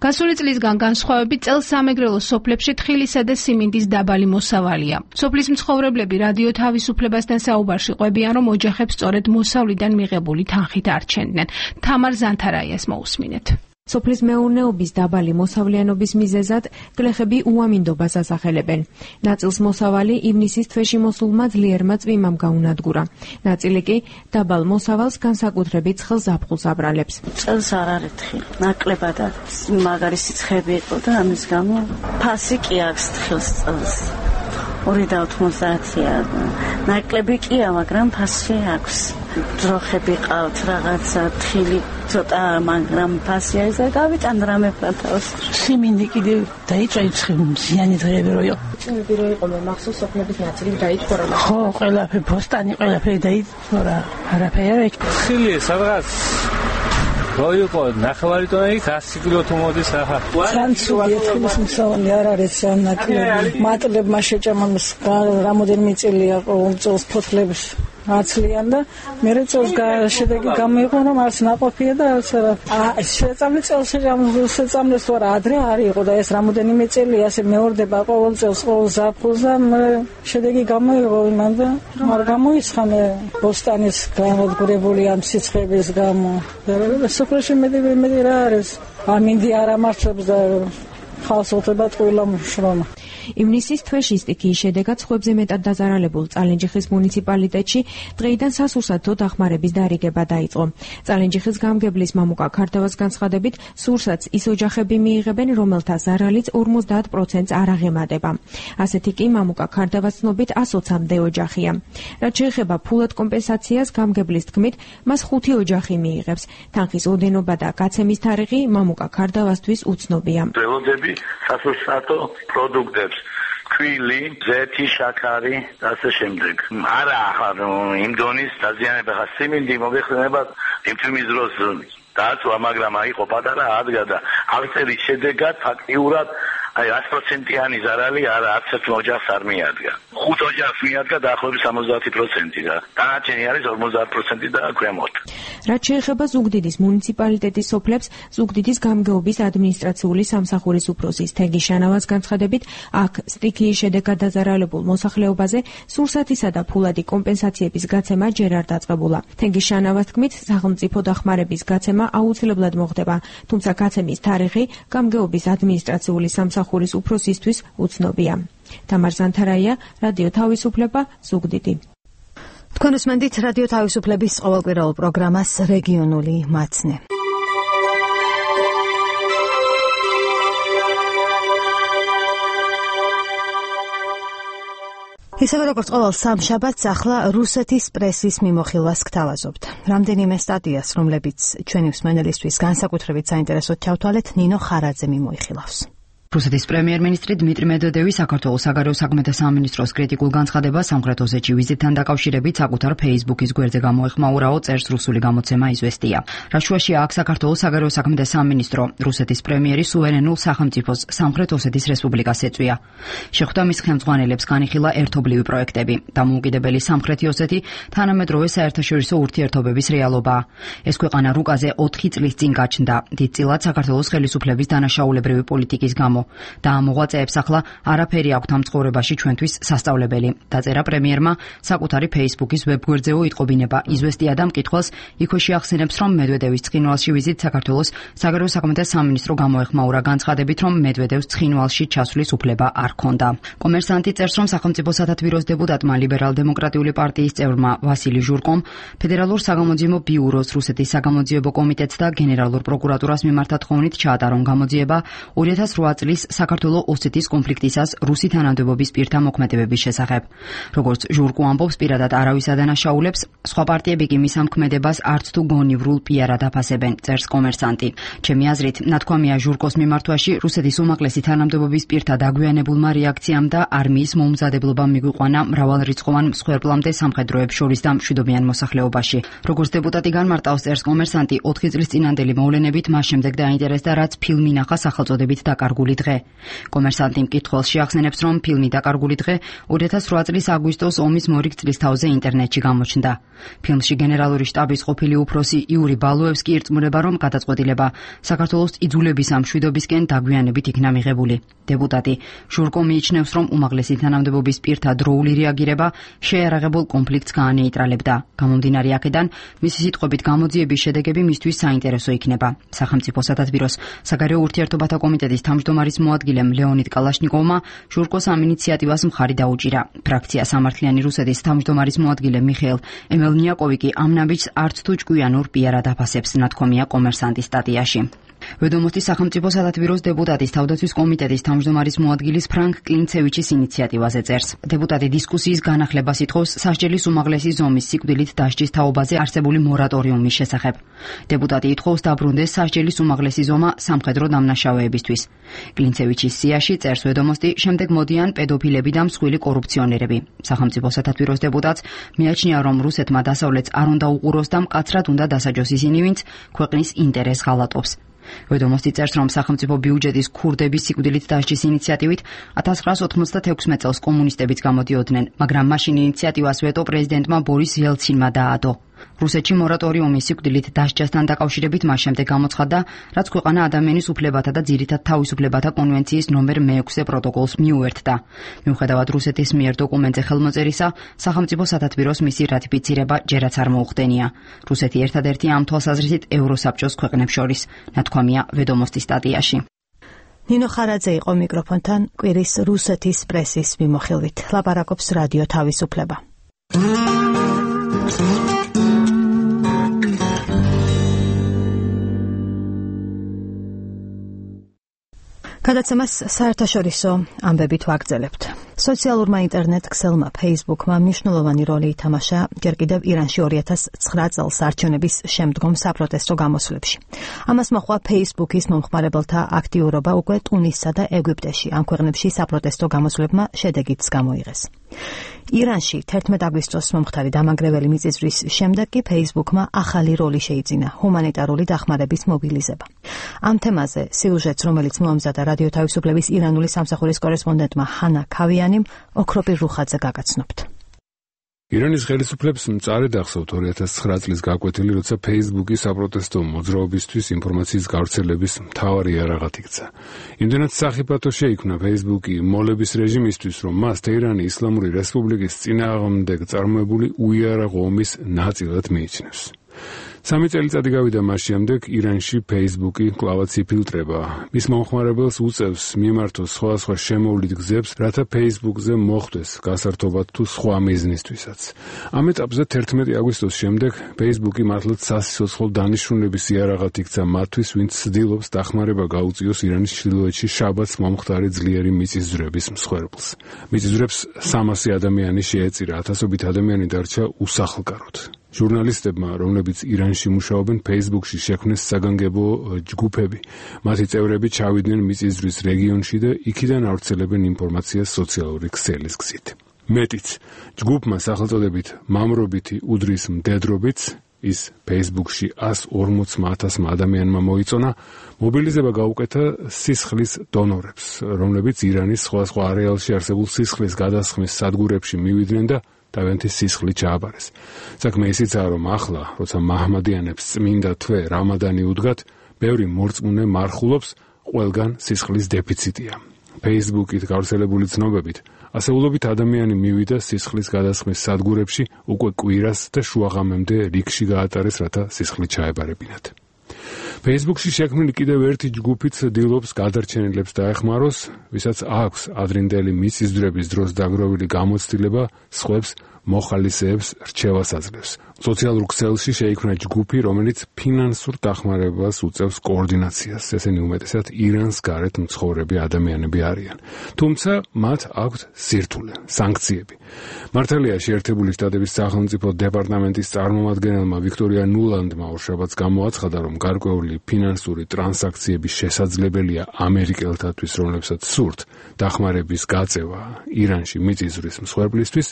გასული წლისგან განსხვავებით წელს სამეგრელოს სოფლებში თხილისა და სიმინდის დაბალი მოსავალია. სოფლის მცხოვრებლები რადიო თავისუფლებასთან საუბარში ყვებიან, რომ ოჯახებს სწორედ მოსავლიდან მიღებული თანხით არჩენდნენ. თამარ ზანთარაიას მოусმინეთ. სოფლის მეურნეობის დაბალი მოსავლიანობის მიზეზად გლეხები უამინდობას ასახელებენ. ნაწილს მოსავალი ივნისის თვეში მოსულმა ძლიერმა წვიმამ გაუნადგურა. ნაწილი კი დაბალ მოსავალს განსაკუთრებით ცხელ ზაფხულს აბრალებს. წელს არ არის თხილი, ნაკლებად არის. მაგარი სიცხეები იყო და ამის გამო ფასი კი აქვს თხილს წელს. ორი და ოთხმოცდაათია. ნაკლები კია, მაგრამ ფასი აქვს. ძროხები ყავთ, რაღაცა თხილი ცოტა, მაგრამ ფასი არის და გავიტან რამე ფათავს. სიმინდი კიდე დაიწვიცხი მზიანი დღეები რო იყო. წინები რო იყო, მახსოვს სოფლების ნაწილი დაიწყო რა. ხო, ყველაფერი ფოსტანი, ყველაფერი დაიწყო რა. არაფერი არ ეჭ. ხილი სადღაც როიყო ნახევარი ტონი ასი კილო თუ მოდის ახლა. სანცუდი ეთქვის მსოვანი არ არის ანაკლები. მატლებმა შეჭამოს რამოდენიმე წელია ყოველწელს ფოთლებს აცლიან და მერე წელს შედეგი გამოიყო რომ არც ნაყოფია და არც არა. შეწამლი წელს შეწამლეს თუ არა ადრე არ იყო და ეს რამოდენიმე წელი ასე მეორდება ყოველ წელს ყოველ ზაფხულს და შედეგი გამოიყო იმან და არ გამოისხა მე ბოსტანის განადგურებული ამ სიცხების გამო. სოფელში მედი მედი რა არის ამინდი არ ამარცხებს და ხალხს უთება ტყუილა შრომა. ივნისის თვეში სტიქიის შედეგად სხვებზე მეტად დაზარალებულ წალენჯიხის მუნიციპალიტეტში დღეიდან სასურსათო დახმარების დარიგება დაიწყო. წალენჯიხის გამგებლის მამუკა ქარდავას განცხადებით, სურსათს ის ოჯახები მიიღებენ, რომელთა ზარალიც ორმოცდაათ პროცენტს არ აღემატება. ასეთი კი მამუკა ქარდავას ცნობით ოცამდე ოჯახია. რაც შეეხება ფულად კომპენსაციას, გამგებლის თქმით, მას ხუთი ოჯახი მიიღებს. თანხის ოდენობა და გაცემის თარიღი მამუკა ქარდავასთვის უცნობია. ველოდები სასურსათო პროდუქტებს ქვილი, ზეთი, შაქარი და ასე შემდეგ. არა ახლა იმ დონის დაზიანება ხა სიმინდი მოგეხსენება იმ თემის დროს დააწვა, მაგრამ აიყო პატარა ადგა და აღწერის შედეგად ფაქტიურად აი ათი პროცენტიანი ზარალი არა არც ერთ ოჯახს არ მიადგა. ხუთ ოჯახს მიადგა დაახლოებით სამოცდაათი პროცენტი და დანარჩენი არის ორმოცდაათი პროცენტი და ქვემოთ. რაც შეეხება ზუგდიდის მუნიციპალიტეტის სოფლებს, ზუგდიდის გამგეობის ადმინისტრაციული სამსახურის უფროსის თენგი შანავას განცხადებით, აქ სტიქიის შედეგად დაზარალებულ მოსახლეობაზე სურსათისა და ფულადი კომპენსაციების გაცემა ჯერ არ დაწყებულა. თენგი შანავას თქმით, სახელმწიფო დახმარების გაცემა აუცილებლად მოხდება, თუმცა გაცემის თარიღი გამგეობის ადმინისტრაციული სამსახურის უფროსისთვის უცნობია. თამარ ზანთარაია, რადიო თავისუფლება, ზუგდიდი. თქვენ უსმენთ რადიო თავისუფლების ყოველკვირეულ პროგრამას რეგიონული მაცნე. ისევე როგორც ყოველ სამშაბათს ახლა რუსეთის პრესის მიმოხილვას გთავაზობთ. რამდენიმე სტატიას, რომლებიც ჩვენი მსმენელისთვის განსაკუთრებით საინტერესოდ ჩავთვალეთ, ნინო ხარაძე მიმოიხილავს. რუსეთის პრემიერ-მინისტრი დმიტრი მედვედევი საქართველოს საგარეო საქმეთა სამინისტროს კრიტიკულ განცხადებას სამხრეთ ოსეთში ვიზიტთან დაკავშირებით საკუთარ Facebook-ის გვერდზე გამოეხმაურაო, წერს რუსული გამოცემა იზვესტია. რაშუაშია აქ საქართველოს საგარეო საქმეთა სამინისტრო რუსეთის პრემიერი სუვერენულ სახელმწიფოს სამხრეთ ოსეთის რესპუბლიკას ეწვია. შეხვდა მის ხელმძღვანელებს განიხილა ერთობლივი პროექტები. დამოუკიდებელი სამხრეთი ოსეთი თანამედროვე საერთაშორისო ურთიერთობების რეალობაა. ეს ქვეყანა რუკაზე ოთხი წლის წინ გაჩნდა. დიდწილად საქართველოს ხელისუფლების დანაშაულებრივი პოლიტიკის გამო. და ამ მოღვაწეებს ახლა არაფერი აქვთ ამ ცხოვრებაში ჩვენთვის სასწავლებელი. დაწერა პრემიერმა საკუთარი Facebook-ის ვებგვერდზეო იტყობინება იზვესტია და მკითხველს იქვე შეახსენებს, რომ მედვედევის ცხინვალში ვიზიტ საქართველოს საგარეო საქმეთა სამინისტრო გამოეხმაურა განცხადებით, რომ მედვედევს ცხინვალში ჩასვლის უფლება არ ჰქონდა. კომერსანტი წერს, რომ სახელმწიფო სათათბიროს დეპუტატმა ლიბერალ-დემოკრატიული პარტიის წევრმა ვასილი ჟურკომ ფედერალურ საგამოძიებო ბიუროს, რუსეთის საგამოძიებო კომიტეტს და გენერალურ პროკურატურას მიმართა თხოვნით ჩაატარონ გამოძიება ორი ათას რვა წლის საქართველოს ოსეთის კონფლიქტისას რუსი თანამდებობის პირთა მოქმედებების შესახებ. როგორც ჟურკო ამბობს, პირადად არავის ადანაშაულებს, სხვა პარტიები კი მის ამ ქმედებას არც თუ გონივრულ პიარად აფასებენ, წერს კომერსანტი. ჩემი აზრით, ნათქვამია ჟურკოს მიმართვაში რუსეთის უმაღლესი თანამდებობის პირთა დაგვიანებულმა რეაქციამ და არმიის მოუმზადებლობამ მიგვიყვანა მრავალრიცხოვან მსხვერპლამდე სამხედროებს შორის და მშვიდობიან მოსახლეობაში. როგორც დეპუტატი განმარტავს, წერს კომერსანტი, ოთხი წლის წინანდელი მოვლენებით მას შემდეგ დაინტერესდა, რაც ფილმი ნახა სახელწოდებით დაკარგული დღე. კომერსანტი მკითხველს შეახსენებს, რომ ფილმი დაკარგული დღე ორი ათას რვა წლის აგვისტოს ომის მორიგ წლისთავზე ინტერნეტში გამოჩნდა. ფილმში გენერალური შტაბის ყოფილი უფროსი იური ბალოევსკი ირწმუნება, რომ გადაწყვეტილება საქართველოს იძულების ამ მშვიდობისკენ დაგვიანებით იქნა მიღებული. დეპუტატი ჟურკო მიიჩნევს, რომ უმაღლესი თანამდებობის პირთა დროული რეაგირება შეიარაღებულ კონფლიქტს გაანეიტრალებდა. გამომდინარე აქედან, მისი სიტყვებით გამოძიების შედეგები მისთვის საინტერესო იქნება. სახელმწიფო სათათბიროს საგარეო ურთიერთობათა კომიტეტის თავმჯდომარის მოადგილემ ლეონიდ კალაშნიკოვმა ჟურკოს ამ ინიციატივას მხარი დაუჭირა. ფრაქცია სამართლიანი რუსეთის თავმჯდომარის მოადგილე მიხეილ ემელნიაკოვი კი ამ ნაბიჯს არც თუ ჭკვიანურ პიარად აფასებს, ნათქვამია კომერსანტის სტატიაში. ვედომოსტის სახელმწიფო სათათბიროს დეპუტატის თავდაცვის კომიტეტის თავმჯდომარის მოადგილის ფრანკ კლინცევიჩის ინიციატივაზე წერს. დეპუტატი დისკუსიის განახლებას ითხოვს სასჯელის უმაღლესი ზომის სიკვდილით დასჯის თაობაზე არსებული მორატორიუმის შესახებ. დეპუტატი ითხოვს დაბრუნდეს სასჯელის უმაღლესი ზომა სამხედრო დამნაშავეებისთვის. კლინცევიჩის სიაში წერს ვედომოსტი, შემდეგ მოდიან პედოფილები და მსხვილი კორუფციონერები. სახელმწიფო სათათბიროს დეპუტატს მიაჩნია, რომ რუსეთმა დასავლეთს არ უნდა უყუროს და მკაცრად უნდა დასაჯოს ისინი, ვინც ქვეყნის ინტერესს ღალატობს. ვედომოსტი წერს, რომ სახელმწიფო ბიუჯეტის ქურდების სიკვდილით დასჯის ინიციატივით ათას ცხრაას ოთხმოცდათექვსმეტ წელს კომუნისტებიც გამოდიოდნენ, მაგრამ მაშინ ინიციატივას ვეტო პრეზიდენტმა ბორის ელცინმა დაადო. რუსეთში მორატორიუმის სიკვდილით დასჯასთან დაკავშირებით მას შემდეგ გამოცხადდა, რაც ქვეყანა ადამიანის უფლებათა და ძირითად თავისუფლებათა კონვენციის ნომერ მეექვსე პროტოკოლს მიუერთდა. მიუხედავად რუსეთის მიერ დოკუმენტზე ხელმოწერისა, სახელმწიფო სათათბიროს მისი რატიფიცირება ჯერაც არ მოუხდენია. რუსეთი ერთადერთია ამ თვალსაზრისით ევროსაბჭოს ქვეყნებს შორის, ნათქვამია ვედომოსტის სტატიაში. ნინო ხარაძე იყო მიკროფონთან კვირის რუსეთის პრესის მიმოხილვით. ლაპარაკობს რადიო თავისუფლება. გადაცემას საერთაშორისო ამბებით ვაგრძელებთ. სოციალურმა ინტერნეტ ქსელმა Facebook-მა მნიშვნელოვანი როლი ითამაშა ჯერ კიდევ ირანში ორი ათას ცხრა წელს არჩევნების შემდგომ საპროტესტო გამოსვლებში. ამას მოჰყვა Facebook-ის მომხმარებელთა აქტიურობა უკვე ტუნისსა და ეგვიპტეში. ამ ქვეყნებში საპროტესტო გამოსვლებმა შედეგიც გამოიღეს. ირანში თერთმეტ აგვისტოს მომხდარი დამანგრეველი მიწისძვრის შემდეგ კი Facebook-მა ახალი როლი შეიძინა ჰუმანიტარული დახმარების მობილიზება. ამ თემაზე სიუჟეტს, რომელიც მოამზადა რადიო თავისუფლების ირანული სამსახურის კორესპონდენტმა ჰანა ქავიანიმ, ოქროპირ რუხაძე გაგაცნობთ. ირანის ხელისუფლებს მწარედ ახსოვთ ორი ათას ცხრა წლის გაკვეთილი, როცა Facebook-ის საპროტესტო მოძრაობისთვის ინფორმაციის გავრცელების მთავარი იარაღად იქცა. იმდენად სახიფათო შეიქმნა Facebook-ი მოლების რეჟიმისთვის, რომ მას თეირანი ისლამური რესპუბლიკის წინააღმდეგ წარმოებული უიარაღო ომის ნაწილად მიიჩნევს. სამი წელიწადი გავიდა მას შემდეგ ირანში Facebook-ი კლავაც იფილტრება. მის მომხმარებელს უწევს მიმართოს სხვადასხვა შემოვლით გზებს, რათა Facebook-ზე მოხვდეს გასართობად თუ სხვა მიზნისთვისაც. ამ ეტაპზე თერთმეტი აგვისტოს შემდეგ Facebook-ი მართლაც სასიცოცხლო დანიშნულების იარაღად იქცა მათთვის, ვინც ცდილობს დახმარება გაუწიოს ირანის ჩრდილოეთში შაბათს მომხდარი ძლიერი მიწისძვრების მსხვერპლს. მიწისძვრებს სამასი ადამიანი შეეწირა, ათასობით ადამიანი დარჩა უსახლკაროდ. ჟურნალისტებმა, რომლებიც ირანში მუშაობენ, Facebook-ში შექმნეს საგანგებო ჯგუფები. მათი წევრები ჩავიდნენ მიწისძვრის რეგიონში და იქიდან ავრცელებენ ინფორმაციას სოციალური ქსელის გზით. მეტიც, ჯგუფმა სახელწოდებით მამრობითი უდრის მდედრობიც, ის Facebook-ში ას ორმოცმა ათასმა ადამიანმა მოიწონა, მობილიზება გაუკეთა სისხლის დონორებს, რომლებიც ირანის სხვადასხვა არეალში არსებულ სისხლის გადასხმის სადგურებში მივიდნენ და თავიანთი სისხლი ჩააბარეს. საქმე ისიცაა, რომ ახლა, როცა მაჰმადიანებს წმინდა თვე რამადანი უდგათ, ბევრი მორწმუნე მარხულობს, ყველგან სისხლის დეფიციტია. Facebook-ით გავრცელებული ცნობებით, ასეულობით ადამიანი მივიდა სისხლის გადასხმის სადგურებში უკვე კვირას და შუაღამემდე რიგში გაატარეს, რათა სისხლი ჩაებარებინათ. Facebook-ში შექმნილი კიდევ ერთი ჯგუფი ცდილობს გადარჩენილებს დაეხმაროს, ვისაც აქვს ადრინდელი მიწისძვრების დროს დაგროვილი გამოცდილება, სხვებს მოხალისეებს რჩევას აძლევს. სოციალურ ქსელში შეიქმნა ჯგუფი, რომელიც ფინანსურ დახმარებას უწევს კოორდინაციას. ესენი უმეტესად ირანს გარეთ მცხოვრები ადამიანები არიან. თუმცა მათ აქვთ სირთულე, სანქციები. მართალია შეერთებული შტატების სახელმწიფო დეპარტამენტის წარმომადგენელმა ვიქტორია ნულანდმა ორშაბათს გამოაცხადა, რომ გარკვეული ფინანსური ტრანზაქციების შესაძლებელია ამერიკელთათვის, რომლებსაც სურთ დახმარების გაწევა ირანში მიწისძვრის მსხვერპლისთვის,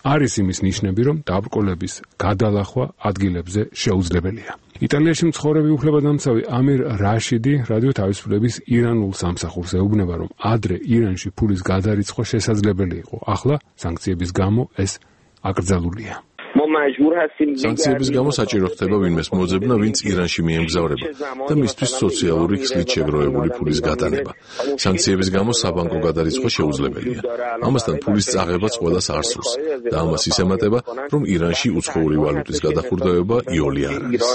არის იმის ნიშნები, რომ დაბრკოლების გადალახვა ადგილებზე შეუძლებელია. იტალიაში მცხოვრები უფლებადამცავი ამირ რაშიდი რადიო თავისუფლების ირანულ სამსახურს ეუბნება, რომ ადრე ირანში ფულის გადარიცხვა შესაძლებელი იყო, ახლა სანქციების გამო ეს აკრძალულია. სანქციების გამო საჭირო ხდება ვინმეს მოძებნა, ვინც ირანში მიემგზავრება და მისთვის სოციალური ხსნით შეგროვებული ფულის გატანება. სანქციების გამო საბანკო გადარიცხვა შეუძლებელია. ამასთან ფულის წაღებაც ყველას არ სურს და ამას ისემატება, რომ ირანში უცხოური ვალუტის გადახურდოება იოლი არ არის.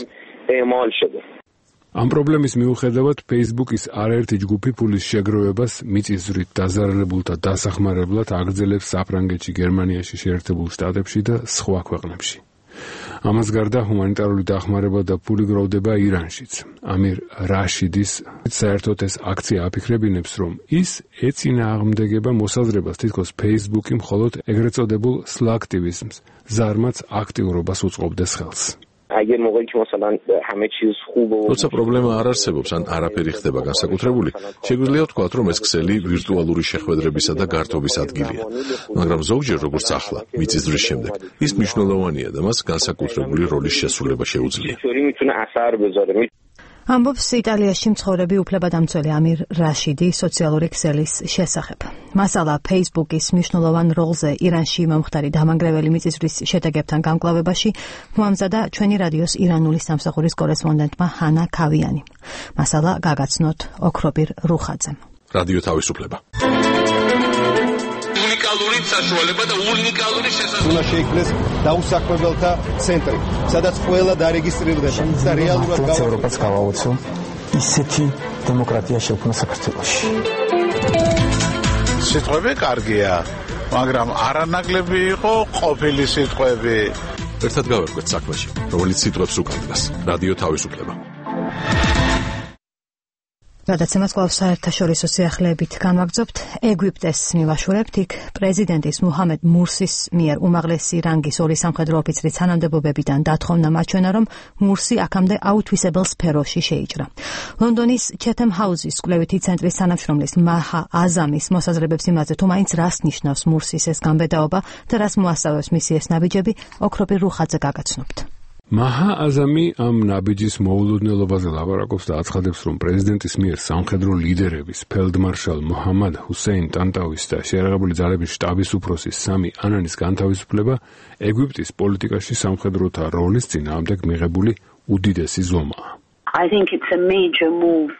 ამ პრობლემის მიუხედავად, Facebook-ის არაერთი ჯგუფი ფულის შეგროვებას მიწისძვრით დაზარალებულთა დასახმარებლად აგრძელებს საფრანგეთში, გერმანიაში, შეერთებულ შტატებში და სხვა ქვეყნებში. ამას გარდა ჰუმანიტარული დახმარება და ფული გროვდება ირანშიც. ამირ რაშიდის საერთოდ ეს აქცია აფიქრებინებს, რომ ის ეწინააღმდეგება მოსაზრებას, თითქოს Facebook-ი მხოლოდ ეგრეთ წოდებულ სლაქტივიზმს, ზარმაც აქტიურობას უწყობდეს ხელს. როცა პრობლემა არ არსებობს ან არაფერი ხდება განსაკუთრებული, შეგვიძლია ვთქვათ, რომ ეს ქსელი ვირტუალური შეხვედრებისა და გართობის ადგილია. მაგრამ ზოგჯერ, როგორც ახლა, მიწისძვრის შემდეგ, ის მნიშვნელოვანია და მას განსაკუთრებული როლის შესრულება შეუძლია. ამბობს იტალიაში მცხოვრები უფლებადამცველი ამირ რაშიდი სოციალური ქსელის შესახებ. მასალა Facebook-ის მნიშვნელოვან როლზე ირანში მომხდარი დამანგრეველი მიწისძვრის შედეგებთან გამკლავებაში მოამზადა ჩვენი რადიოს ირანული სამსახურის კორესპონდენტმა ჰანა ქავიანი. მასალა გაგაცნოთ ოქრობირ რუხაძემ. რადიო თავისუფლება. უნიკალური საშუალება და უნიკალური შესაძლებლობა. უნდა შეიქმნეს დაუსაქმებელთა ცენტრი, სადაც ყველა დარეგისტრირდება და რეალურად ევროპას გავაოცო ისეთი დემოკრატია შექმნა საქართველოში. სიტყვები კარგია, მაგრამ არანაკლები იყო ყოფილი სიტყვები. ერთად გავერკვეთ საქმეში, რომელიც სიტყვებს უკანდრას. რადიო თავისუფლება. გადაცემას კვლავ საერთაშორისო სიახლეებით განვაგრძობთ. ეგვიპტეს მივაშურებთ, იქ პრეზიდენტის მუჰამედ მურსის მიერ უმაღლესი რანგის ორი სამხედრო ოფიცრის თანამდებობებიდან დათხოვნა მაჩვენა, რომ მურსი აქამდე აუთვისებელ სფეროში შეიჭრა. ლონდონის ჩეთემ ჰაუსის კვლევითი ცენტრის თანამშრომლის მაჰა აზამის მოსაზრებებს იმაზე, თუ მაინც რას ნიშნავს მურსის ეს გამბედაობა და რას მოასწავებს მისი ეს ნაბიჯები, ოქრობირ რუხაძე გაგაცნობთ. მაჰა აზამი ამ ნაბიჯის მოულოდნელობაზე ლაპარაკობს და აცხადებს, რომ პრეზიდენტის მიერ სამხედრო ლიდერების, ფელდმარშალ მოჰამად ჰუსეინ ტანტავის და შეიარაღებული ძალების შტაბის უფროსის სამი ანანის განთავისუფლება ეგვიპტის პოლიტიკაში სამხედროთა როლის წინააღმდეგ მიღებული უდიდესი ზომაა. I think it's a major move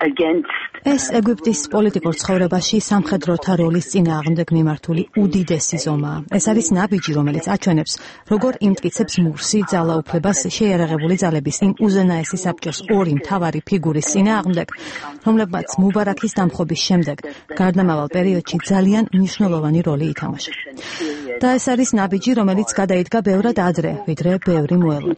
against ეს ეგვიპტის პოლიტიკურ ცხოვრებაში სამხედროთა როლის წინააღმდეგ მიმართული უდიდესი ზომაა. ეს არის ნაბიჯი, რომელიც აჩვენებს, როგორ იმტკიცებს მურსი ძალაუფლებას შეიარაღებული ძალების იმ უზენაესი საბჭოს ორი მთავარი ფიგურის წინააღმდეგ, რომლებმაც მუბარაქის დამხობის შემდეგ გარდამავალ პერიოდში ძალიან მნიშვნელოვანი როლი ითამაშა. და ეს არის ნაბიჯი, რომელიც გადაიდგა ბევრად ადრე, ვიდრე ბევრი მოელოდა.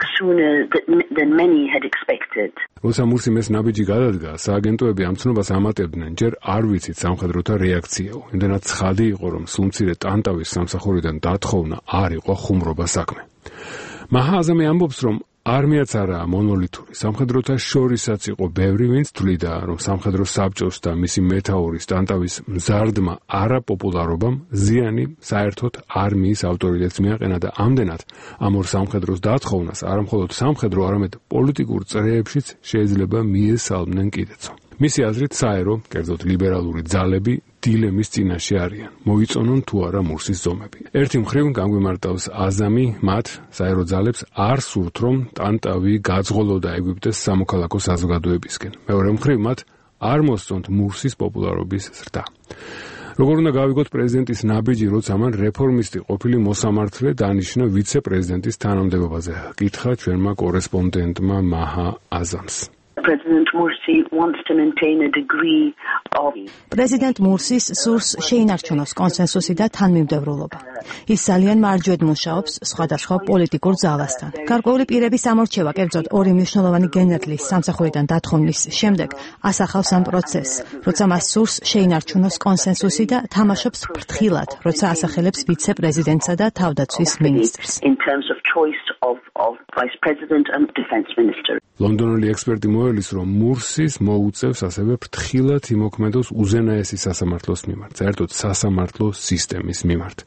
როცა მურსიმ ეს ნაბიჯი გადადგა, სააგენტოები ამ ცნობას ამატებდნენ, ჯერ არ ვიცით სამხედროთა რეაქციაო. იმდენად ცხადი იყო, რომ სულმცირე ტანტავის სამსახურიდან დათხოვნა არ იყო ხუმრობა საქმე. მაჰა აზამი ამბობს, რომ არმიაც არაა მონოლითური. სამხედროთა შორისაც იყო ბევრი, ვინც თვლიდა, რომ სამხედრო საბჭოს და მისი მეთაურის ტანტავის მზარდმა არაპოპულარობამ ზიანი საერთოდ არმიის ავტორიტეტს მიაყენა და ამდენად ამ ორ სამხედროს დათხოვნას არამხოლოდ სამხედრო, არამედ პოლიტიკურ წრეებშიც შეიძლება მიესალმნენ კიდეცო. მისი აზრით საერო, კერძოდ ლიბერალური ძალები დილემის წინაშე არიან. მოიწონონ თუ არა მურსის ზომები. ერთი მხრივ განგვიმარტავს აზამი მათ საერო ძალებს არ სურთ, რომ ტანტავი გაძღოლოდა ეგვიპტეს სამოქალაქო საზოგადოებისკენ. მეორე მხრივ მათ არ მოსწონთ მურსის პოპულარობის ზრდა. როგორ უნდა გავიგოთ პრეზიდენტის ნაბიჯი, როცა მან რეფორმისტი ყოფილი მოსამართლე დანიშნა ვიცე-პრეზიდენტის თანამდებობაზე? კითხა ჩვენმა კორესპონდენტმა მაჰა აზამს. President Morsi wants to maintain a degree of პრეზიდენტ მურსის სურს შეინარჩუნოს კონსენსუსი და თანმიმდევრულობა. ის ძალიან მარჯვედ მუშაობს სხვადასხვა პოლიტიკურ ძალასთან. გარკვეული პირების ამორჩევა, კერძოდ ორი მნიშვნელოვანი გენერლის სამსახურიდან დათხოვნის შემდეგ ასახავს ამ პროცესს, როცა მას სურს შეინარჩუნოს კონსენსუსი და თამაშობს ფრთხილად, როცა ასახელებს ვიცე-პრეზიდენტსა და თავდაცვის მინისტრს. in terms of choice of of vice president and defense minister. ლონდონელი ექსპერტი მოელის, რომ მურსის მოუწევს ასევე ფრთხილად იმოქმედოს უზენაესი სასამართლოს მიმართ, საერთოდ სასამართლო სისტემის მიმართ.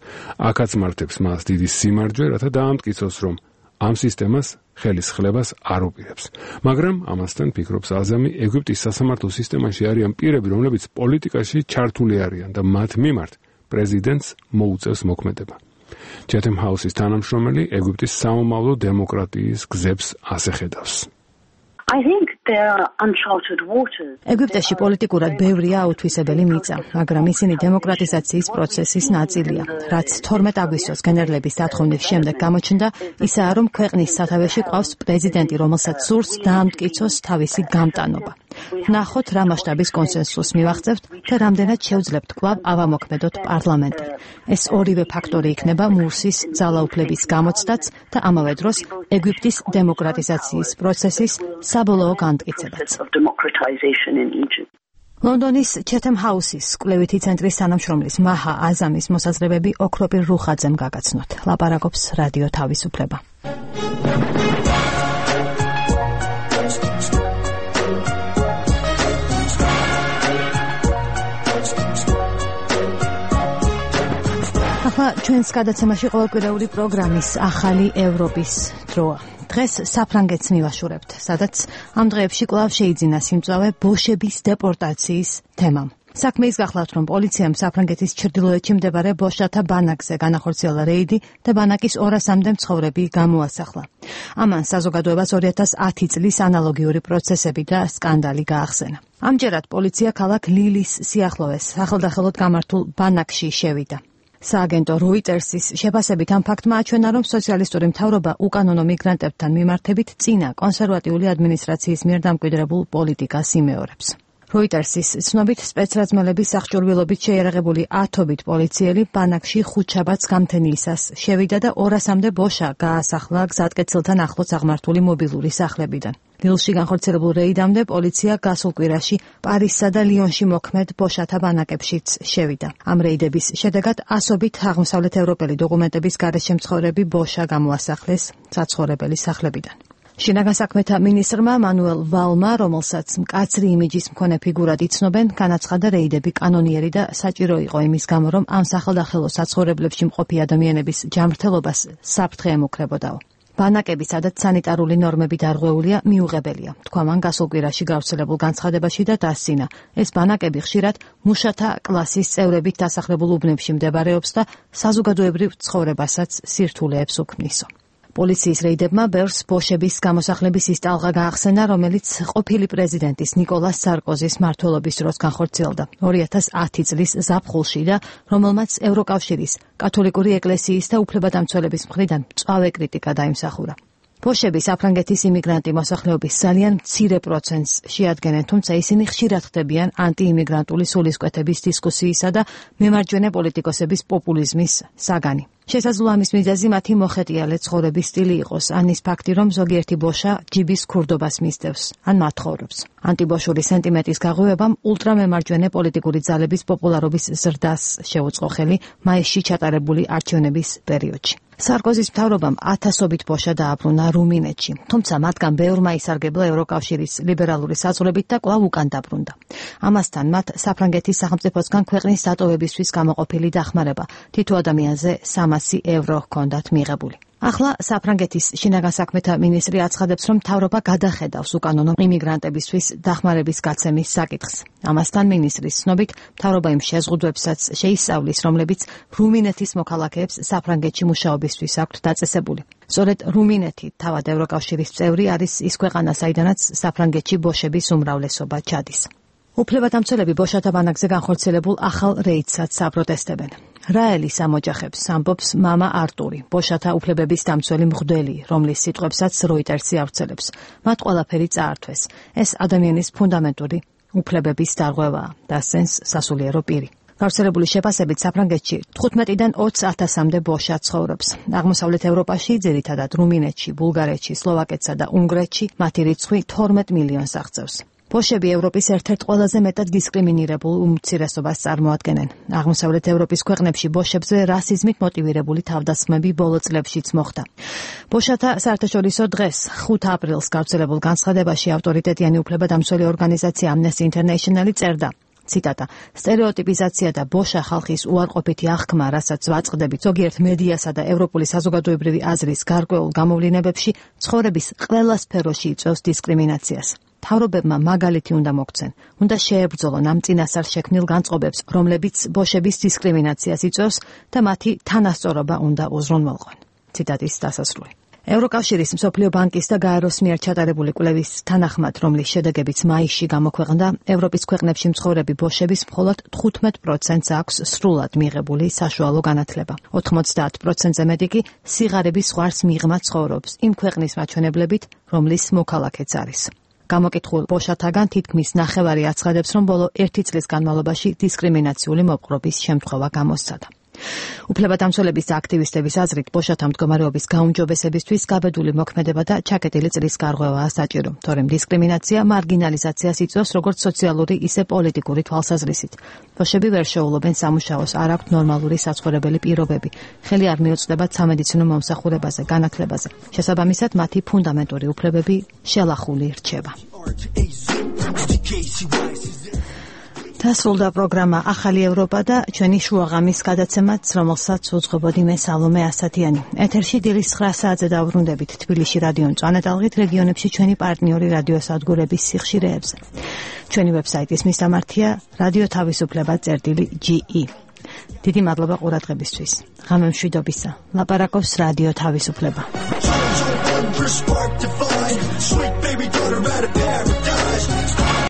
აქაც მართებს მას დიდი სიმარჯვე, რათა დაამტკიცოს, რომ ამ სისტემას ხელისხლებას არ უპირებს. მაგრამ ამასთან ფიქრობს აზამი, ეგვიპტის სასამართლო სისტემაში არიან პირები, რომლებიც პოლიტიკაში ჩართული არიან და მათ მიმართ პრეზიდენტს მოუწევს მოქმედება. ჩეთემ ჰაუსის თანამშრომელი ეგვიპტის სამომავლო დემოკრატიის გზებს ასე ხედავს. I think there are uncharted waters. ეგვიპტეში პოლიტიკურად ბევრია აუთვისებელი მიწა, მაგრამ ისინი დემოკრატიზაციის პროცესის ნაწილია. რაც თორმეტ აგვისტოს გენერლების დათხოვნის შემდეგ გამოჩნდა, ისაა, რომ ქვეყნის სათავეში ყავს პრეზიდენტი, რომელსაც სურს დაამტკიცოს თავისი გამტანობა. ნახოთ რა მასშტაბის კონსენსუსს მივაღწევთ და რამდენად შევძლებთ კვლავ ავამოქმედოთ პარლამენტი. ეს ორივე ფაქტორი იქნება მურსის ძალაუფლების გამოცდაც და ამავე დროს ეგვიპტის დემოკრატიზაციის პროცესის საბოლოო განმტკიცებაც. ლონდონის ჩეთემ ჰაუსის კვლევითი ცენტრის თანამშრომლის მაჰა აზამის მოსაზრებები ოქროპირ რუხაძემ გაგაცნოთ. ლაპარაკობს რადიო თავისუფლება. ახლა ჩვენს გადაცემაში ყოველკვირეული პროგრამის ახალი ევროპის დროა. დღეს საფრანგეთს მივაშურებთ, სადაც ამ დღეებში კვლავ შეიძინა სიმწვავე ბოშების დეპორტაციის თემამ. საქმე ის გახლავთ, რომ პოლიციამ საფრანგეთის ჩრდილოეთში მდებარე ბოშათა ბანაკზე განახორციელა რეიდი და ბანაკის ორასამდე მცხოვრები გამოასახლა. ამან საზოგადოებას ორი ათას ათი წლის ანალოგიური პროცესები და სკანდალი გაახსენა. ამჯერად პოლიცია ქალაქ ლილის სიახლოვეს სახელდახელოდ გამართულ ბანაკში შევიდა. სააგენტო როიტერსის შეფასებით ამ ფაქტმა აჩვენა, რომ სოციალისტური მთავრობა უკანონო მიგრანტებთან მიმართებით წინა კონსერვატიული ადმინისტრაციის მიერ დამკვიდრებულ პოლიტიკას იმეორებს. როიტერსის ცნობით სპეცრაზმელების აღჭურვილობით შეიარაღებული ათობით პოლიციელი ბანაკში ხუთშაბათს გამთენიისას შევიდა და ორასამდე ბოშა გაასახლა გზატკეცილთან ახლოს აღმართული მობილური სახლებიდან. ლილში განხორციელებულ რეიდამდე პოლიცია გასულ კვირაში პარიზსა და ლიონში მოქმედ ბოშათა ბანაკებშიც შევიდა. ამ რეიდების შედეგად ასობით აღმოსავლეთ ევროპელი დოკუმენტების გარეშე მცხოვრები ბოშა გამოასახლეს საცხოვრებელი სახლებიდან. შინაგან საქმეთა მინისტრმა მანუელ ვალმა, რომელსაც მკაცრი იმიჯის მქონე ფიგურად იცნობენ, განაცხადა რეიდები კანონიერი და საჭირო იყო იმის გამო, რომ ამ სახელდახელო საცხოვრებლებში მყოფი ადამიანების ჯანმრთელობას საფრთხე ემუქრებოდაო. ბანაკები, სადაც სანიტარული ნორმები დარღვეულია, მიუღებელია. თქვა მან გასულ კვირაში გავრცელებულ განცხადებაში და დასცინა. ეს ბანაკები ხშირად მუშათა კლასის წევრებით დასახლებულ უბნებში მდებარეობს და საზოგადოებრივ ცხოვრებასაც სირთულეებს უქმნისო. პოლიციის რეიდებმა ბევრს ბოშების გამოსახლების ის ტალღა გაახსენა, რომელიც ყოფილი პრეზიდენტის ნიკოლას სარკოზის მმართველობის დროს განხორციელდა ორი ათას ათი წლის ზაფხულში და რომელმაც ევროკავშირის, კათოლიკური ეკლესიის და უფლებადამცველების მხრიდან მწვავე კრიტიკა დაიმსახურა. ბოშები საფრანგეთის იმიგრანტი მოსახლეობის ძალიან მცირე პროცენტს შეადგენენ, თუმცა ისინი ხშირად ხდებიან ანტიიმიგრანტული სულისკვეთების დისკუსიისა და მემარჯვენე პოლიტიკოსების პოპულიზმის საგანი. შესაძლოა ამის მიზეზი მათი მოხეტიალე ცხოვრების სტილი იყოს, ან ის ფაქტი, რომ ზოგიერთი ბოშა ჯიბის ქურდობას მისდევს, ან მათხოვრობს. ანტიბოშური სენტიმენტის გაღვივებამ ულტრამემარჯვენე პოლიტიკური ძალების პოპულარობის ზრდას შეუწყო ხელი მაისში ჩატარებული არჩევნების პერიოდში. სარკოზის მთავრობამ ათასობით ბოშა დააბრუნა რუმინეთში, თუმცა მათგან ბევრმა ისარგებლა ევროკავშირის ლიბერალური საზღვრებით და კვლავ უკან დაბრუნდა. ამასთან მათ საფრანგეთის სახელმწიფოსგან ქვეყნის დატოვებისთვის გამოყოფილი დახმარება თითო ადამიანზე სამასი ევრო ჰქონდათ მიღებული. ახლა საფრანგეთის შინაგან საქმეთა მინისტრი აცხადებს, რომ მთავრობა გადახედავს უკანონო იმიგრანტებისთვის დახმარების გაცემის საკითხს. ამასთან მინისტრის ცნობით, მთავრობა იმ შეზღუდვებსაც შეისწავლის, რომლებიც რუმინეთის მოქალაქეებს საფრანგეთში მუშაობისთვის აქვთ დაწესებული. სწორედ რუმინეთი, თავად ევროკავშირის წევრი, არის ის ქვეყანა, საიდანაც საფრანგეთში ბოშების უმრავლესობა ჩადის. უფლებადამცველები ბოშათა ბანაკზე განხორციელებულ ახალ რეიდსაც აპროტესტებენ. რაელის ამოჯახებს ამბობს მამა არტური, ბოშათა უფლებების დამცველი მღვდელი, რომლის სიტყვებსაც როიტერსი ავრცელებს. მათ ყველაფერი წაართვეს. ეს ადამიანის ფუნდამენტური უფლებების დარღვევაა, დასცენს სასულიერო პირი. გავრცელებული შეფასებით საფრანგეთში თხუთმეტიდან ოცი ათასამდე ბოშა ცხოვრობს. აღმოსავლეთ ევროპაში, ძირითადად რუმინეთში, ბულგარეთში, სლოვაკეთსა და უნგრეთში მათი რიცხვი თორმეტ მილიონს აღწევს. ბოშები ევროპის ერთ-ერთ ყველაზე მეტად დისკრიმინირებულ უმცირესობას წარმოადგენენ. აღმოსავლეთ ევროპის ქვეყნებში ბოშებზე რასიზმით მოტივირებული თავდასხმები ბოლო წლებშიც მოხდა. ბოშათა საერთაშორისო დღეს ხუთი აპრილს გავრცელებულ განცხადებაში ავტორიტეტიანი უფლებადამცველი ორგანიზაცია Amnesty International წერდა: ციტატა: სტერეოტიპიზაცია და ბოშა ხალხის უარყოფითი აღქმა, რასაც ვაწყდებით ზოგიერთ მედიასა და ევროპული საზოგადოებრივი აზრის გარკვეულ გამოვლინებებში, ცხოვრების ყველა სფეროში იწვევს დისკრიმინაციას. მთავრობებმა მაგალითი უნდა მოგცენ. უნდა შეებრძოლონ ამ წინასწარ შექმნილ განწყობებს, რომლებიც ბოშების დისკრიმინაციას იწვევს და მათი თანასწორობა უნდა უზრუნველყონ. ციტატის დასასრული. ევროკავშირის მსოფლიო ბანკის და გაეროს მიერ ჩატარებული კვლევის თანახმად, რომლის შედეგებიც მაისში გამოქვეყნდა, ევროპის ქვეყნებში მცხოვრები ბოშების მხოლოდ თხუთმეტ პროცენტს აქვს სრულად მიღებული საშუალო განათლება. ოთხმოცდაათ პროცენტზე მეტი კი სიღარიბის ზღვარს მიღმა ცხოვრობს, იმ ქვეყნის მაჩვენებლებით, რომლის მოქალაქეც არის. გამოკითხულ ბოშათაგან თითქმის ნახევარი აცხადებს, რომ ბოლო ერთი წლის განმავლობაში დისკრიმინაციული მოპყრობის შემთხვევა გამოსცადა. უფლებადამცველების და აქტივისტების აზრით, ბოშათა მდგომარეობის გაუმჯობესებისთვის გაბედული მოქმედება და ჩაკეტილი წრის გარღვევაა საჭირო, თორემ დისკრიმინაცია მარგინალიზაციას იწვევს როგორც სოციალური, ისე პოლიტიკური თვალსაზრისით. ბოშები ვერ შეუძლობენ სამუშაოს, არ აქვთ ნორმალური საცხოვრებელი პირობები, ხელი არ მიუწვდებათ სამედიცინო მომსახურებაზე, განათლებაზე. შესაბამისად, მათი ფუნდამენტური უფლებები შელახული რჩება. დასრულდა პროგრამა ახალი ევროპა და ჩვენი შუაღამის გადაცემაც, რომელსაც უძღვებოდი მე სალომე ასათიანი. ეთერში დილის ცხრა საათზე დავბრუნდებით თბილისში რადიო მწვანე-ტალღით, რეგიონებში ჩვენი პარტნიორი რადიოსადგურების სიხშირეებზე. ჩვენი ვებსაიტის მისამართია რადიო თავისუფლება წერტილი ჯი ი. დიდი მადლობა ყურადღებისთვის. ღამე მშვიდობისა. ლაპარაკობს რადიო თავისუფლება.